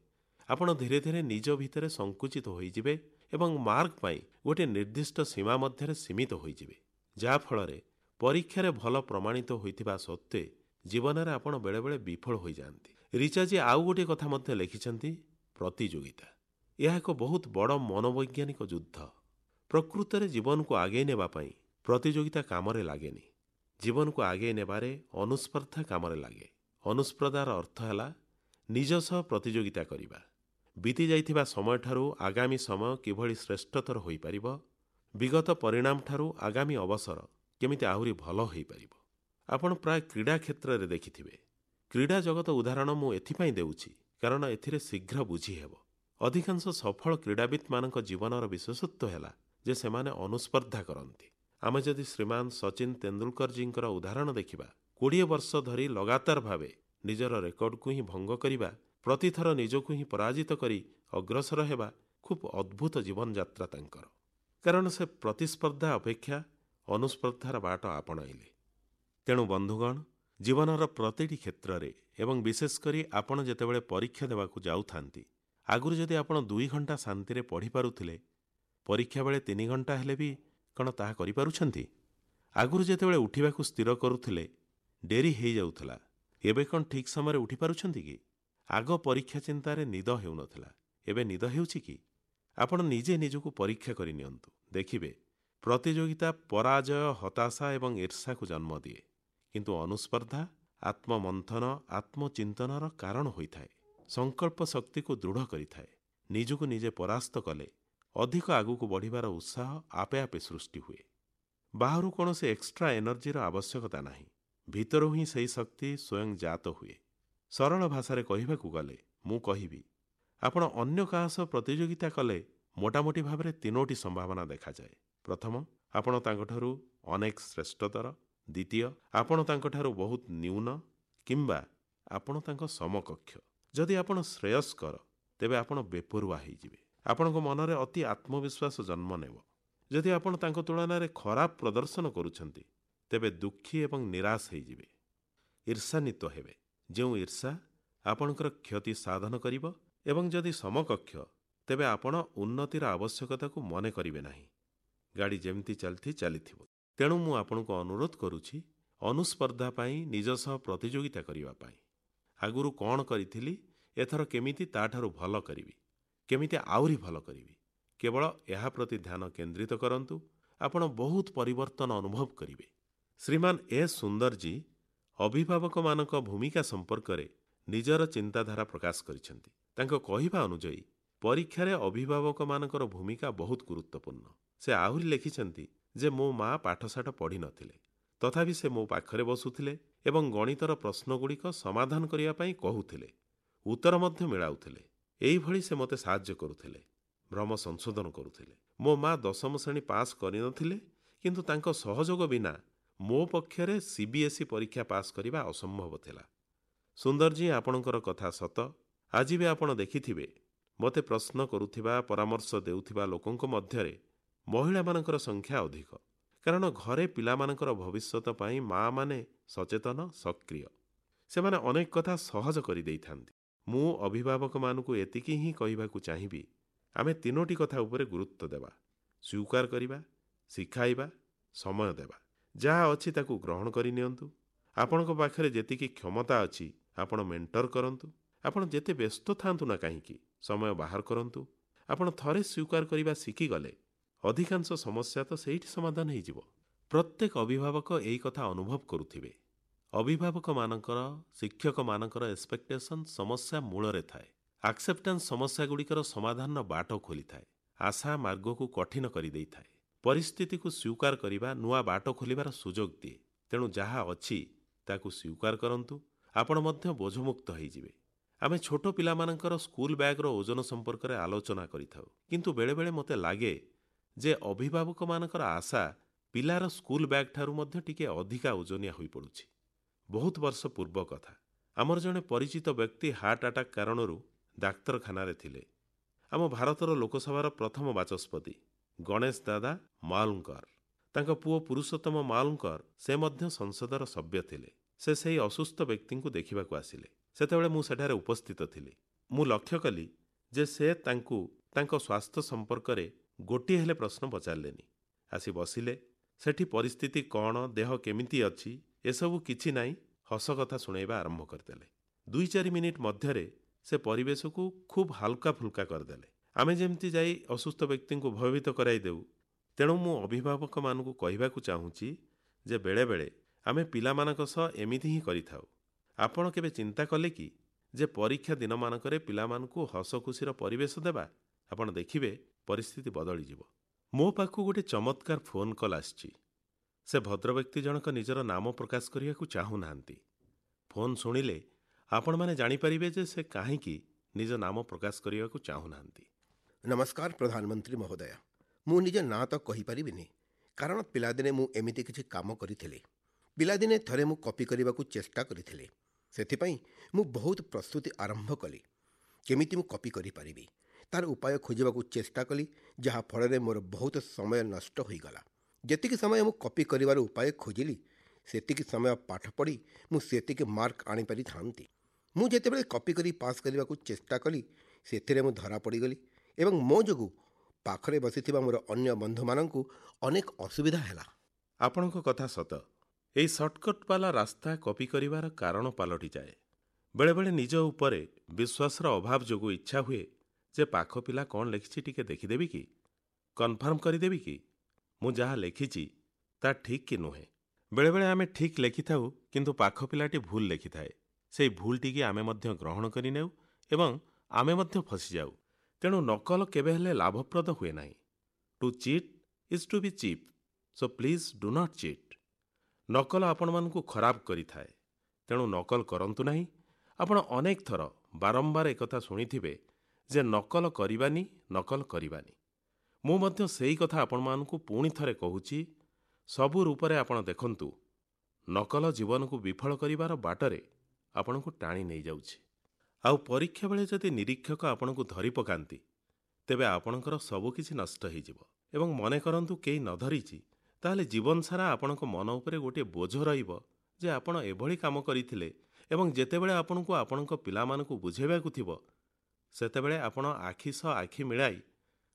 ଆପଣ ଧୀରେ ଧୀରେ ନିଜ ଭିତରେ ସଙ୍କୁଚିତ ହୋଇଯିବେ ଏବଂ ମାର୍କ ପାଇଁ ଗୋଟିଏ ନିର୍ଦ୍ଦିଷ୍ଟ ସୀମା ମଧ୍ୟରେ ସୀମିତ ହୋଇଯିବେ, ଯାହାଫଳରେ ପରୀକ୍ଷାରେ ଭଲ ପ୍ରମାଣିତ ହୋଇଥିବା ସତ୍ତ୍ୱେ ଜୀବନରେ ଆପଣ ବେଳେବେଳେ ବିଫଳ ହୋଇଯାଆନ୍ତି। ରିଚାଜୀ ଆଉ ଗୋଟିଏ କଥା ମଧ୍ୟ ଲେଖିଛନ୍ତି, ପ୍ରତିଯୋଗିତା। ଏହା ଏକ ବହୁତ ବଡ଼ ମନୋବୈଜ୍ଞାନିକ ଯୁଦ୍ଧ। ପ୍ରକୃତରେ ଜୀବନକୁ ଆଗେଇ ନେବା ପାଇଁ ପ୍ରତିଯୋଗିତା କାମରେ ଲାଗେନି। ଜୀବନକୁ ଆଗେଇ ନେବାରେ ଅନୁସ୍ପର୍ଦ୍ଧା କାମରେ ଲାଗେ। ଅନୁସ୍ପର୍ଦ୍ଧାର ଅର୍ଥ ହେଲା ନିଜ ସହ ପ୍ରତିଯୋଗିତା କରିବା। ବିତି ଯାଇଥିବା ସମୟଠାରୁ ଆଗାମୀ ସମୟ କିଭଳି ଶ୍ରେଷ୍ଠତର ହୋଇପାରିବ, ବିଗତ ପରିଣାମଠାରୁ ଆଗାମୀ ଅବସର କେମିତି ଆହୁରି ଭଲ ହୋଇପାରିବ। ଆପଣ ପ୍ରାୟ କ୍ରୀଡ଼ା କ୍ଷେତ୍ରରେ ଦେଖିଥିବେ। କ୍ରୀଡ଼ା ଜଗତ ଉଦାହରଣ ମୁଁ ଏଥିପାଇଁ ଦେଉଛି କାରଣ ଏଥିରେ ଶୀଘ୍ର ବୁଝିହେବ। ଅଧିକାଂଶ ସଫଳ କ୍ରୀଡ଼ାବିତ୍ମାନଙ୍କ ଜୀବନର ବିଶେଷତ୍ୱ ହେଲା ଯେ ସେମାନେ ଅନୁସ୍ପର୍ଦ୍ଧା କରନ୍ତି। ଆମେ ଯଦି ଶ୍ରୀମାନ ସଚିନ ତେନ୍ଦୁଲକରଜୀଙ୍କର ଉଦାହରଣ ଦେଖିବା, 20 ବର୍ଷ ଧରି ଲଗାତାର ଭାବେ ନିଜର ରେକର୍ଡକୁ ହିଁ ଭଙ୍ଗ କରିବା, ପ୍ରତିଥର ନିଜକୁ ହିଁ ପରାଜିତ କରି ଅଗ୍ରସର ହେବା ଖୁବ୍ ଅଦ୍ଭୁତ ଜୀବନଯାତ୍ରା ତାଙ୍କର। କାରଣ ସେ ପ୍ରତିସ୍ପର୍ଦ୍ଧା ଅପେକ୍ଷା ଅନୁସ୍ପର୍ଦ୍ଧାର ବାଟ ଆପଣାଇଲେ। ତେଣୁ ବନ୍ଧୁଗଣ, ଜୀବନର ପ୍ରତିଟି କ୍ଷେତ୍ରରେ ଏବଂ ବିଶେଷ କରି ଆପଣ ଯେତେବେଳେ ପରୀକ୍ଷା ଦେବାକୁ ଯାଉଥାନ୍ତି, ଆଗରୁ ଯଦି ଆପଣ 2 ଘଣ୍ଟା ଶାନ୍ତିରେ ପଢ଼ିପାରୁଥିଲେ, ପରୀକ୍ଷା ବେଳେ 3 ଘଣ୍ଟା ହେଲେ ବି କ'ଣ ତାହା କରିପାରୁଛନ୍ତି? ଆଗରୁ ଯେତେବେଳେ ଉଠିବାକୁ ସ୍ଥିର କରୁଥିଲେ ଡେରି ହେଇଯାଉଥିଲା, ଏବେ କ'ଣ ଠିକ୍ ସମୟରେ ଉଠିପାରୁଛନ୍ତି କି? ଆଗ ପରୀକ୍ଷା ଚିନ୍ତାରେ ନିଦ ହେଉନଥିଲା, ଏବେ ନିଦ ହେଉଛି କି? ଆପଣ ନିଜେ ନିଜକୁ ପରୀକ୍ଷା କରି ନିଅନ୍ତୁ, ଦେଖିବେ ପ୍ରତିଯୋଗିତା ପରାଜୟ, ହତାଶା ଏବଂ ଈର୍ଷାକୁ ଜନ୍ମ ଦିଏ, କିନ୍ତୁ ଅନୁସ୍ପର୍ଦ୍ଧା ଆତ୍ମମନ୍ଥନ, ଆତ୍ମଚିନ୍ତନର କାରଣ ହୋଇଥାଏ, ସଂକଳ୍ପ ଶକ୍ତିକୁ ଦୃଢ଼ କରିଥାଏ। ନିଜକୁ ନିଜେ ପରାସ୍ତ କଲେ ଅଧିକ ଆଗକୁ ବଢ଼ିବାର ଉତ୍ସାହ ଆପେ ଆପେ ସୃଷ୍ଟି ହୁଏ। ବାହାରୁ କୌଣସି ଏକ୍ସଟ୍ରା ଏନର୍ଜିର ଆବଶ୍ୟକତା ନାହିଁ, ଭିତରୁ ହିଁ ସେହି ଶକ୍ତି ସ୍ୱୟଂ ଜାତ ହୁଏ। ସରଳ ଭାଷାରେ କହିବାକୁ ଗଲେ ମୁଁ କହିବି, ଆପଣ ଅନ୍ୟ କାହା ସହ ପ୍ରତିଯୋଗିତା କଲେ ମୋଟାମୋଟି ଭାବରେ 3ଟି ସମ୍ଭାବନା ଦେଖାଯାଏ। ପ୍ରଥମ, ଆପଣ ତାଙ୍କଠାରୁ ଅନେକ ଶ୍ରେଷ୍ଠତର। ଦ୍ୱିତୀୟ, ଆପଣ ତାଙ୍କଠାରୁ ବହୁତ ନ୍ୟୁନ କିମ୍ବା ଆପଣ ତାଙ୍କ ସମକକ୍ଷ। ଯଦି ଆପଣ ଶ୍ରେୟସ୍କର, ତେବେ ଆପଣ ବେପରୁଆ ହେଇଯିବେ। ଆପଣଙ୍କ ମନରେ ଅତି ଆତ୍ମବିଶ୍ୱାସ ଜନ୍ମ ନେବ। ଯଦି ଆପଣ ତାଙ୍କ ତୁଳନାରେ ଖରାପ ପ୍ରଦର୍ଶନ କରୁଛନ୍ତି, ତେବେ ଦୁଃଖୀ ଏବଂ ନିରାଶ ହେଇଯିବେ, ଈର୍ଷାନ୍ୱିତ ହେବେ, ଯେଉଁ ଈର୍ଷା ଆପଣଙ୍କର କ୍ଷତି ସାଧନ କରିବ। ଏବଂ ଯଦି ସମକକ୍ଷ, ତେବେ ଆପଣ ଉନ୍ନତିର ଆବଶ୍ୟକତାକୁ ମନେ କରିବେ ନାହିଁ। ଗାଡ଼ି ଯେମିତି ଚାଲିଛି ଚାଲିଥିବ। ତେଣୁ ମୁଁ ଆପଣଙ୍କୁ ଅନୁରୋଧ କରୁଛି ଅନୁସ୍ପର୍ଦ୍ଧା ପାଇଁ, ନିଜ ସହ ପ୍ରତିଯୋଗିତା କରିବା ପାଇଁ। ଆଗରୁ କ'ଣ କରିଥିଲି, ଏଥର କେମିତି ତାଠାରୁ ଭଲ କରିବି, କେମିତି ଆହୁରି ଭଲ କରିବି, କେବଳ ଏହା ପ୍ରତି ଧ୍ୟାନ କେନ୍ଦ୍ରିତ କରନ୍ତୁ। ଆପଣ ବହୁତ ପରିବର୍ତ୍ତନ ଅନୁଭବ କରିବେ। ଶ୍ରୀମାନ ଏସ୍ ସୁନ୍ଦରଜୀ ଅଭିଭାବକମାନଙ୍କ ଭୂମିକା ସମ୍ପର୍କରେ ନିଜର ଚିନ୍ତାଧାରା ପ୍ରକାଶ କରିଛନ୍ତି। ତାଙ୍କ କହିବା ଅନୁଯାୟୀ ପରୀକ୍ଷାରେ ଅଭିଭାବକମାନଙ୍କର ଭୂମିକା ବହୁତ ଗୁରୁତ୍ୱପୂର୍ଣ୍ଣ। ସେ ଆହୁରି ଲେଖିଛନ୍ତି ଯେ ମୋ ମା ପାଠଶାଠ ପଢ଼ିନଥିଲେ, ତଥାପି ସେ ମୋ ପାଖରେ ବସୁଥିଲେ ଏବଂ ଗଣିତର ପ୍ରଶ୍ନଗୁଡ଼ିକ ସମାଧାନ କରିବା ପାଇଁ କହୁଥିଲେ, ଉତ୍ତର ମଧ୍ୟ ମିଳାଉଥିଲେ। ଏଇଭଳି ସେ ମୋତେ ସାହାଯ୍ୟ କରୁଥିଲେ, ଭ୍ରମ ସଂଶୋଧନ କରୁଥିଲେ। ମୋ ମା 10ମ ଶ୍ରେଣୀ ପାସ୍ କରିନଥିଲେ, କିନ୍ତୁ ତାଙ୍କ ସହଯୋଗ ବିନା ମୋ ପକ୍ଷରେ CBSE ପରୀକ୍ଷା ପାସ୍ କରିବା ଅସମ୍ଭବ ଥିଲା। ସୁନ୍ଦରଜୀ, ଆପଣଙ୍କର କଥା ସତ। ଆଜି ବି ଆପଣ ଦେଖିଥିବେ, ମୋତେ ପ୍ରଶ୍ନ କରୁଥିବା, ପରାମର୍ଶ ଦେଉଥିବା ଲୋକଙ୍କ ମଧ୍ୟରେ ମହିଳାମାନଙ୍କର ସଂଖ୍ୟା ଅଧିକ, କାରଣ ଘରେ ପିଲାମାନଙ୍କର ଭବିଷ୍ୟତ ପାଇଁ ମାଆମାନେ ସଚେତନ, ସକ୍ରିୟ। ସେମାନେ ଅନେକ କଥା ସହଜ କରିଦେଇଥାନ୍ତି। ମୁଁ ଅଭିଭାବକମାନଙ୍କୁ ଏତିକି ହିଁ କହିବାକୁ ଚାହିଁବି, ଆମେ 3ଟି କଥା ଉପରେ ଗୁରୁତ୍ୱ ଦେବା: ସ୍ୱୀକାର କରିବା, ଶିଖାଇବା, ସମୟ ଦେବା। ଯାହା ଅଛି ତାକୁ ଗ୍ରହଣ କରିନିଅନ୍ତୁ। ଆପଣଙ୍କ ପାଖରେ ଯେତିକି କ୍ଷମତା ଅଛି ଆପଣ ମେଣ୍ଟର କରନ୍ତୁ। ଆପଣ ଯେତେ ବ୍ୟସ୍ତ ଥାଆନ୍ତୁ ନା କାହିଁକି, ସମୟ ବାହାର କରନ୍ତୁ। ଆପଣ ଥରେ ସ୍ୱୀକାର କରିବା ଶିଖିଗଲେ ଅଧିକାଂଶ ସମସ୍ୟା ତ ସେଇଠି ସମାଧାନ ହେଇଯିବ। ପ୍ରତ୍ୟେକ ଅଭିଭାବକ ଏଇ କଥା ଅନୁଭବ କରୁଥିବେ। ଅଭିଭାବକମାନଙ୍କର, ଶିକ୍ଷକମାନଙ୍କର ଏକ୍ସପେକ୍ଟେସନ୍ ସମସ୍ୟା ମୂଳରେ ଥାଏ। ଆକ୍ସେପ୍ଟାନ୍ସ ସମସ୍ୟାଗୁଡ଼ିକର ସମାଧାନର ବାଟ ଖୋଲିଥାଏ। ଆଶା ମାର୍ଗକୁ କଠିନ କରିଦେଇଥାଏ। ପରିସ୍ଥିତିକୁ ସ୍ୱୀକାର କରିବା ନୂଆ ବାଟ ଖୋଲିବାର ସୁଯୋଗ ଦିଏ। ତେଣୁ ଯାହା ଅଛି ତାକୁ ସ୍ୱୀକାର କରନ୍ତୁ, ଆପଣ ମଧ୍ୟ ବୋଝମୁକ୍ତ ହେଇଯିବେ। ଆମେ ଛୋଟ ପିଲାମାନଙ୍କର ସ୍କୁଲ ବ୍ୟାଗ୍ର ଓଜନ ସମ୍ପର୍କରେ ଆଲୋଚନା କରିଥାଉ, କିନ୍ତୁ ବେଳେବେଳେ ମୋତେ ଲାଗେ ଯେ ଅଭିଭାବକମାନଙ୍କର ଆଶା ପିଲାର ସ୍କୁଲ ବ୍ୟାଗ୍ ଠାରୁ ମଧ୍ୟ ଟିକେ ଅଧିକା ଓଜନିଆ ହୋଇପଡ଼ୁଛି। ବହୁତ ବର୍ଷ ପୂର୍ବ କଥା, ଆମର ଜଣେ ପରିଚିତ ବ୍ୟକ୍ତି ହାର୍ଟ ଆଟାକ୍ କାରଣରୁ ଡାକ୍ତରଖାନାରେ ଥିଲେ। ଆମ ଭାରତର ଲୋକସଭାର ପ୍ରଥମ ବାଚସ୍ପତି ଗଣେଶ ଦାଦା ମାଲୁଙ୍କର, ତାଙ୍କ ପୁଅ ପୁରୁଷୋତ୍ତମ ମାଲୁଙ୍କର, ସେ ମଧ୍ୟ ସଂସଦର ସଭ୍ୟ ଥିଲେ। ସେ ସେହି ଅସୁସ୍ଥ ବ୍ୟକ୍ତିଙ୍କୁ ଦେଖିବାକୁ ଆସିଲେ। ସେତେବେଳେ ମୁଁ ସେଠାରେ ଉପସ୍ଥିତ ଥିଲି। ମୁଁ ଲକ୍ଷ୍ୟ କଲି ଯେ ସେ ତାଙ୍କୁ ତାଙ୍କ ସ୍ୱାସ୍ଥ୍ୟ ସମ୍ପର୍କରେ ଗୋଟିଏ ହେଲେ ପ୍ରଶ୍ନ ପଚାରିଲେନି। ଆସି ବସିଲେ, ସେଠି ପରିସ୍ଥିତି କ'ଣ, ଦେହ କେମିତି ଅଛି, ଏସବୁ କିଛି ନାହିଁ, ହସ କଥା ଶୁଣାଇବା ଆରମ୍ଭ କରିଦେଲେ। 2-4 ମିନିଟ୍ ମଧ୍ୟରେ ସେ ପରିବେଶକୁ ଖୁବ୍ ହାଲକା ଫୁଲକା କରିଦେଲେ। ଆମେ ଯେମିତି ଯାଇ ଅସୁସ୍ଥ ବ୍ୟକ୍ତିଙ୍କୁ ଭୟଭୀତ କରାଇ ଦେଉ। ତେଣୁ ମୁଁ ଅଭିଭାବକମାନଙ୍କୁ କହିବାକୁ ଚାହୁଁଛି ଯେ ବେଳେବେଳେ ଆମେ ପିଲାମାନଙ୍କ ସହ ଏମିତି ହିଁ କରିଥାଉ। ଆପଣ କେବେ ଚିନ୍ତା କଲେ କି ଯେ ପରୀକ୍ଷା ଦିନମାନଙ୍କରେ ପିଲାମାନଙ୍କୁ ହସ ଖୁସିର ପରିବେଶ ଦେବା? ଆପଣ ଦେଖିବେ ପରିସ୍ଥିତି ବଦଳିଯିବ। ମୋ ପାଖକୁ ଗୋଟେ ଚମତ୍କାର ଫୋନ୍ କଲ୍ ଆସିଛି। ସେ ଭଦ୍ରବ୍ୟକ୍ତି ଜଣକ ନିଜର ନାମ ପ୍ରକାଶ କରିବାକୁ ଚାହୁଁନାହାନ୍ତି। ଫୋନ୍ ଶୁଣିଲେ ଆପଣମାନେ ଜାଣିପାରିବେ ଯେ ସେ କାହିଁକି ନିଜ ନାମ ପ୍ରକାଶ କରିବାକୁ ଚାହୁଁନାହାନ୍ତି। ନମସ୍କାର ପ୍ରଧାନମନ୍ତ୍ରୀ ମହୋଦୟ, ମୁଁ ନିଜ ନାଁ ତ କହିପାରିବିନି, କାରଣ ପିଲାଦିନେ ମୁଁ ଏମିତି କିଛି କାମ କରିଥିଲି। ପିଲାଦିନେ ଥରେ ମୁଁ କପି କରିବାକୁ ଚେଷ୍ଟା କରିଥିଲି। ସେଥିପାଇଁ ମୁଁ ବହୁତ ପ୍ରସ୍ତୁତି ଆରମ୍ଭ କଲି। କେମିତି ମୁଁ କପି କରିପାରିବି ତାର ଉପାୟ ଖୋଜିବାକୁ ଚେଷ୍ଟା କଲି, ଯାହାଫଳରେ ମୋର ବହୁତ ସମୟ ନଷ୍ଟ ହୋଇଗଲା। ଯେତିକି ସମୟ ମୁଁ କପି କରିବାର ଉପାୟ ଖୋଜିଲି, ସେତିକି ସମୟ ପାଠ ପଢ଼ି ମୁଁ ସେତିକି ମାର୍କ ଆଣିପାରିଥାନ୍ତି। ମୁଁ ଯେତେବେଳେ କପି କରି ପାସ୍ କରିବାକୁ ଚେଷ୍ଟା କଲି, ସେଥିରେ ମୁଁ ଧରା ପଡ଼ିଗଲି ଏବଂ ମୋ ଯୋଗୁଁ ପାଖରେ ବସିଥିବା ମୋର ଅନ୍ୟ ବନ୍ଧୁମାନଙ୍କୁ ଅନେକ ଅସୁବିଧା ହେଲା। ଆପଣଙ୍କ କଥା ସତ। ଏହି ସର୍ଟକଟ୍ ବାଲା ରାସ୍ତା କପି କରିବାର କାରଣ ପାଲଟିଯାଏ। ବେଳେବେଳେ ନିଜ ଉପରେ ବିଶ୍ୱାସର ଅଭାବ ଯୋଗୁଁ ଇଚ୍ଛା ହୁଏ ଯେ ପାଖ ପିଲା କ'ଣ ଲେଖିଛି ଟିକେ ଦେଖିଦେବି କି, କନଫର୍ମ କରିଦେବି କି ମୁଁ ଯାହା ଲେଖିଛି ତା ଠିକ୍ କି ନୁହେଁ। ବେଳେବେଳେ ଆମେ ଠିକ୍ ଲେଖିଥାଉ, କିନ୍ତୁ ପାଖ ପିଲାଟି ଭୁଲ ଲେଖିଥାଏ। ସେଇ ଭୁଲଟିକି ଆମେ ମଧ୍ୟ ଗ୍ରହଣ କରିନେଉ ଏବଂ ଆମେ ମଧ୍ୟ ଫସିଯାଉ। ତେଣୁ ନକଲ କେବେ ହେଲେ ଲାଭପ୍ରଦ ହୁଏ ନାହିଁ। To cheat is to be cheap, so please do not cheat. ନକଲ ଆପଣମାନଙ୍କୁ ଖରାପ କରିଥାଏ, ତେଣୁ ନକଲ କରନ୍ତୁ ନାହିଁ। ଆପଣ ଅନେକ ଥର ବାରମ୍ବାର ଏକଥା ଶୁଣିଥିବେ ଯେ ନକଲ କରିବାନି, ନକଲ କରିବାନି। ମୁଁ ମଧ୍ୟ ସେଇ କଥା ଆପଣମାନଙ୍କୁ ପୁଣି ଥରେ କହୁଛି। ସବୁ ରୂପରେ ଆପଣ ଦେଖନ୍ତୁ, ନକଲ ଜୀବନକୁ ବିଫଳ କରିବାର ବାଟରେ ଆପଣଙ୍କୁ ଟାଣି ନେଇଯାଉଛି। ଆଉ ପରୀକ୍ଷା ବେଳେ ଯଦି ନିରୀକ୍ଷକ ଆପଣଙ୍କୁ ଧରି ପକାନ୍ତି, ତେବେ ଆପଣଙ୍କର ସବୁକିଛି ନଷ୍ଟ ହେଇଯିବ। ଏବଂ ମନେ କରନ୍ତୁ କେହି ନ ଧରିଛି, ତାହେଲେ ଜୀବନ ସାରା ଆପଣଙ୍କ ମନ ଉପରେ ଗୋଟିଏ ବୋଝ ରହିବ ଯେ ଆପଣ ଏଭଳି କାମ କରିଥିଲେ ଏବଂ ଯେତେବେଳେ ଆପଣଙ୍କୁ ଆପଣଙ୍କ ପିଲାମାନଙ୍କୁ ବୁଝାଇବାକୁ ଥିବ, ସେତେବେଳେ ଆପଣ ଆଖି ସହ ଆଖି ମିଳାଇ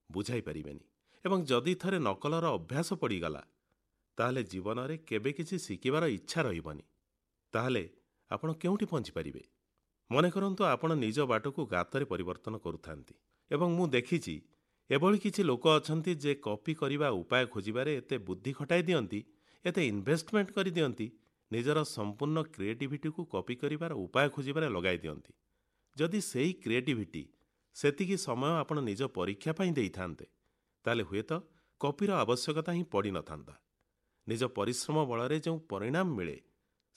ବୁଝାଇ ପାରିବେନି। ଏବଂ ଯଦି ଥରେ ନକଲର ଅଭ୍ୟାସ ପଡ଼ିଗଲା, ତାହେଲେ ଜୀବନରେ କେବେ କିଛି ଶିଖିବାର ଇଚ୍ଛା ରହିବନି। ତାହେଲେ ଆପଣ କେଉଁଠି ପହଞ୍ଚିପାରିବେ? ମନେ କରନ୍ତୁ ଆପଣ ନିଜ ବାଟକୁ ଗାତରେ ପରିବର୍ତ୍ତନ କରୁଥାନ୍ତି। ଏବଂ ମୁଁ ଦେଖିଛି ଏଭଳି କିଛି ଲୋକ ଅଛନ୍ତି ଯେ କପି କରିବା ଉପାୟ ଖୋଜିବାରେ ଏତେ ବୁଦ୍ଧି ଖଟାଇ ଦିଅନ୍ତି, ଏତେ ଇନଭେଷ୍ଟମେଣ୍ଟ କରିଦିଅନ୍ତି, ନିଜର ସମ୍ପୂର୍ଣ୍ଣ କ୍ରିଏଟିଭିଟିକୁ କପି କରିବାର ଉପାୟ ଖୋଜିବାରେ ଲଗାଇ ଦିଅନ୍ତି। ଯଦି ସେଇ କ୍ରିଏଟିଭିଟି ସେତିକି ସମୟ ଆପଣ ନିଜ ପରୀକ୍ଷା ପାଇଁ ଦେଇଥାନ୍ତେ, ତାହେଲେ ହୁଏତ କପିର ଆବଶ୍ୟକତା ହିଁ ପଡ଼ିନଥାନ୍ତା। ନିଜ ପରିଶ୍ରମ ବଳରେ ଯେଉଁ ପରିଣାମ ମିଳେ,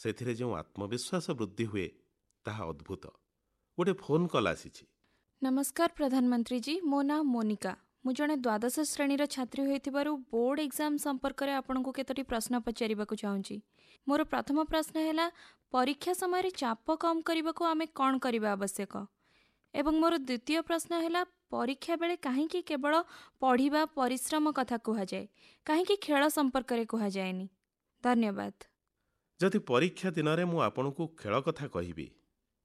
ସେଥିରେ ଯେଉଁ ଆତ୍ମବିଶ୍ୱାସ ବୃଦ୍ଧି ହୁଏ, ତାହା ଅଦ୍ଭୁତ। ଗୋଟେ ଫୋନ୍ କଲ୍ ଆସିଛି। ନମସ୍କାର ପ୍ରଧାନମନ୍ତ୍ରୀ ଜୀ, ମୋ ନାଁ ମୋନିକା। ମୁଁ ଜଣେ ଦ୍ୱାଦଶ ଶ୍ରେଣୀର ଛାତ୍ରୀ ହୋଇଥିବାରୁ ବୋର୍ଡ ଏକ୍ଜାମ୍ ସମ୍ପର୍କରେ ଆପଣଙ୍କୁ କେତୋଟି ପ୍ରଶ୍ନ ପଚାରିବାକୁ ଚାହୁଁଛି। ମୋର ପ୍ରଥମ ପ୍ରଶ୍ନ ହେଲା, ପରୀକ୍ଷା ସମୟରେ ଚାପ କମ୍ କରିବାକୁ ଆମେ କ'ଣ କରିବା ଆବଶ୍ୟକ? ଏବଂ ମୋର ଦ୍ୱିତୀୟ ପ୍ରଶ୍ନ ହେଲା, ପରୀକ୍ଷା ବେଳେ କାହିଁକି କେବଳ ପଢ଼ିବା ପରିଶ୍ରମ କଥା କୁହାଯାଏ, କାହିଁକି ଖେଳ ସମ୍ପର୍କରେ କୁହାଯାଏନି? ଧନ୍ୟବାଦ। ଯଦି ପରୀକ୍ଷା ଦିନରେ ମୁଁ ଆପଣଙ୍କୁ ଖେଳ କଥା କହିବି,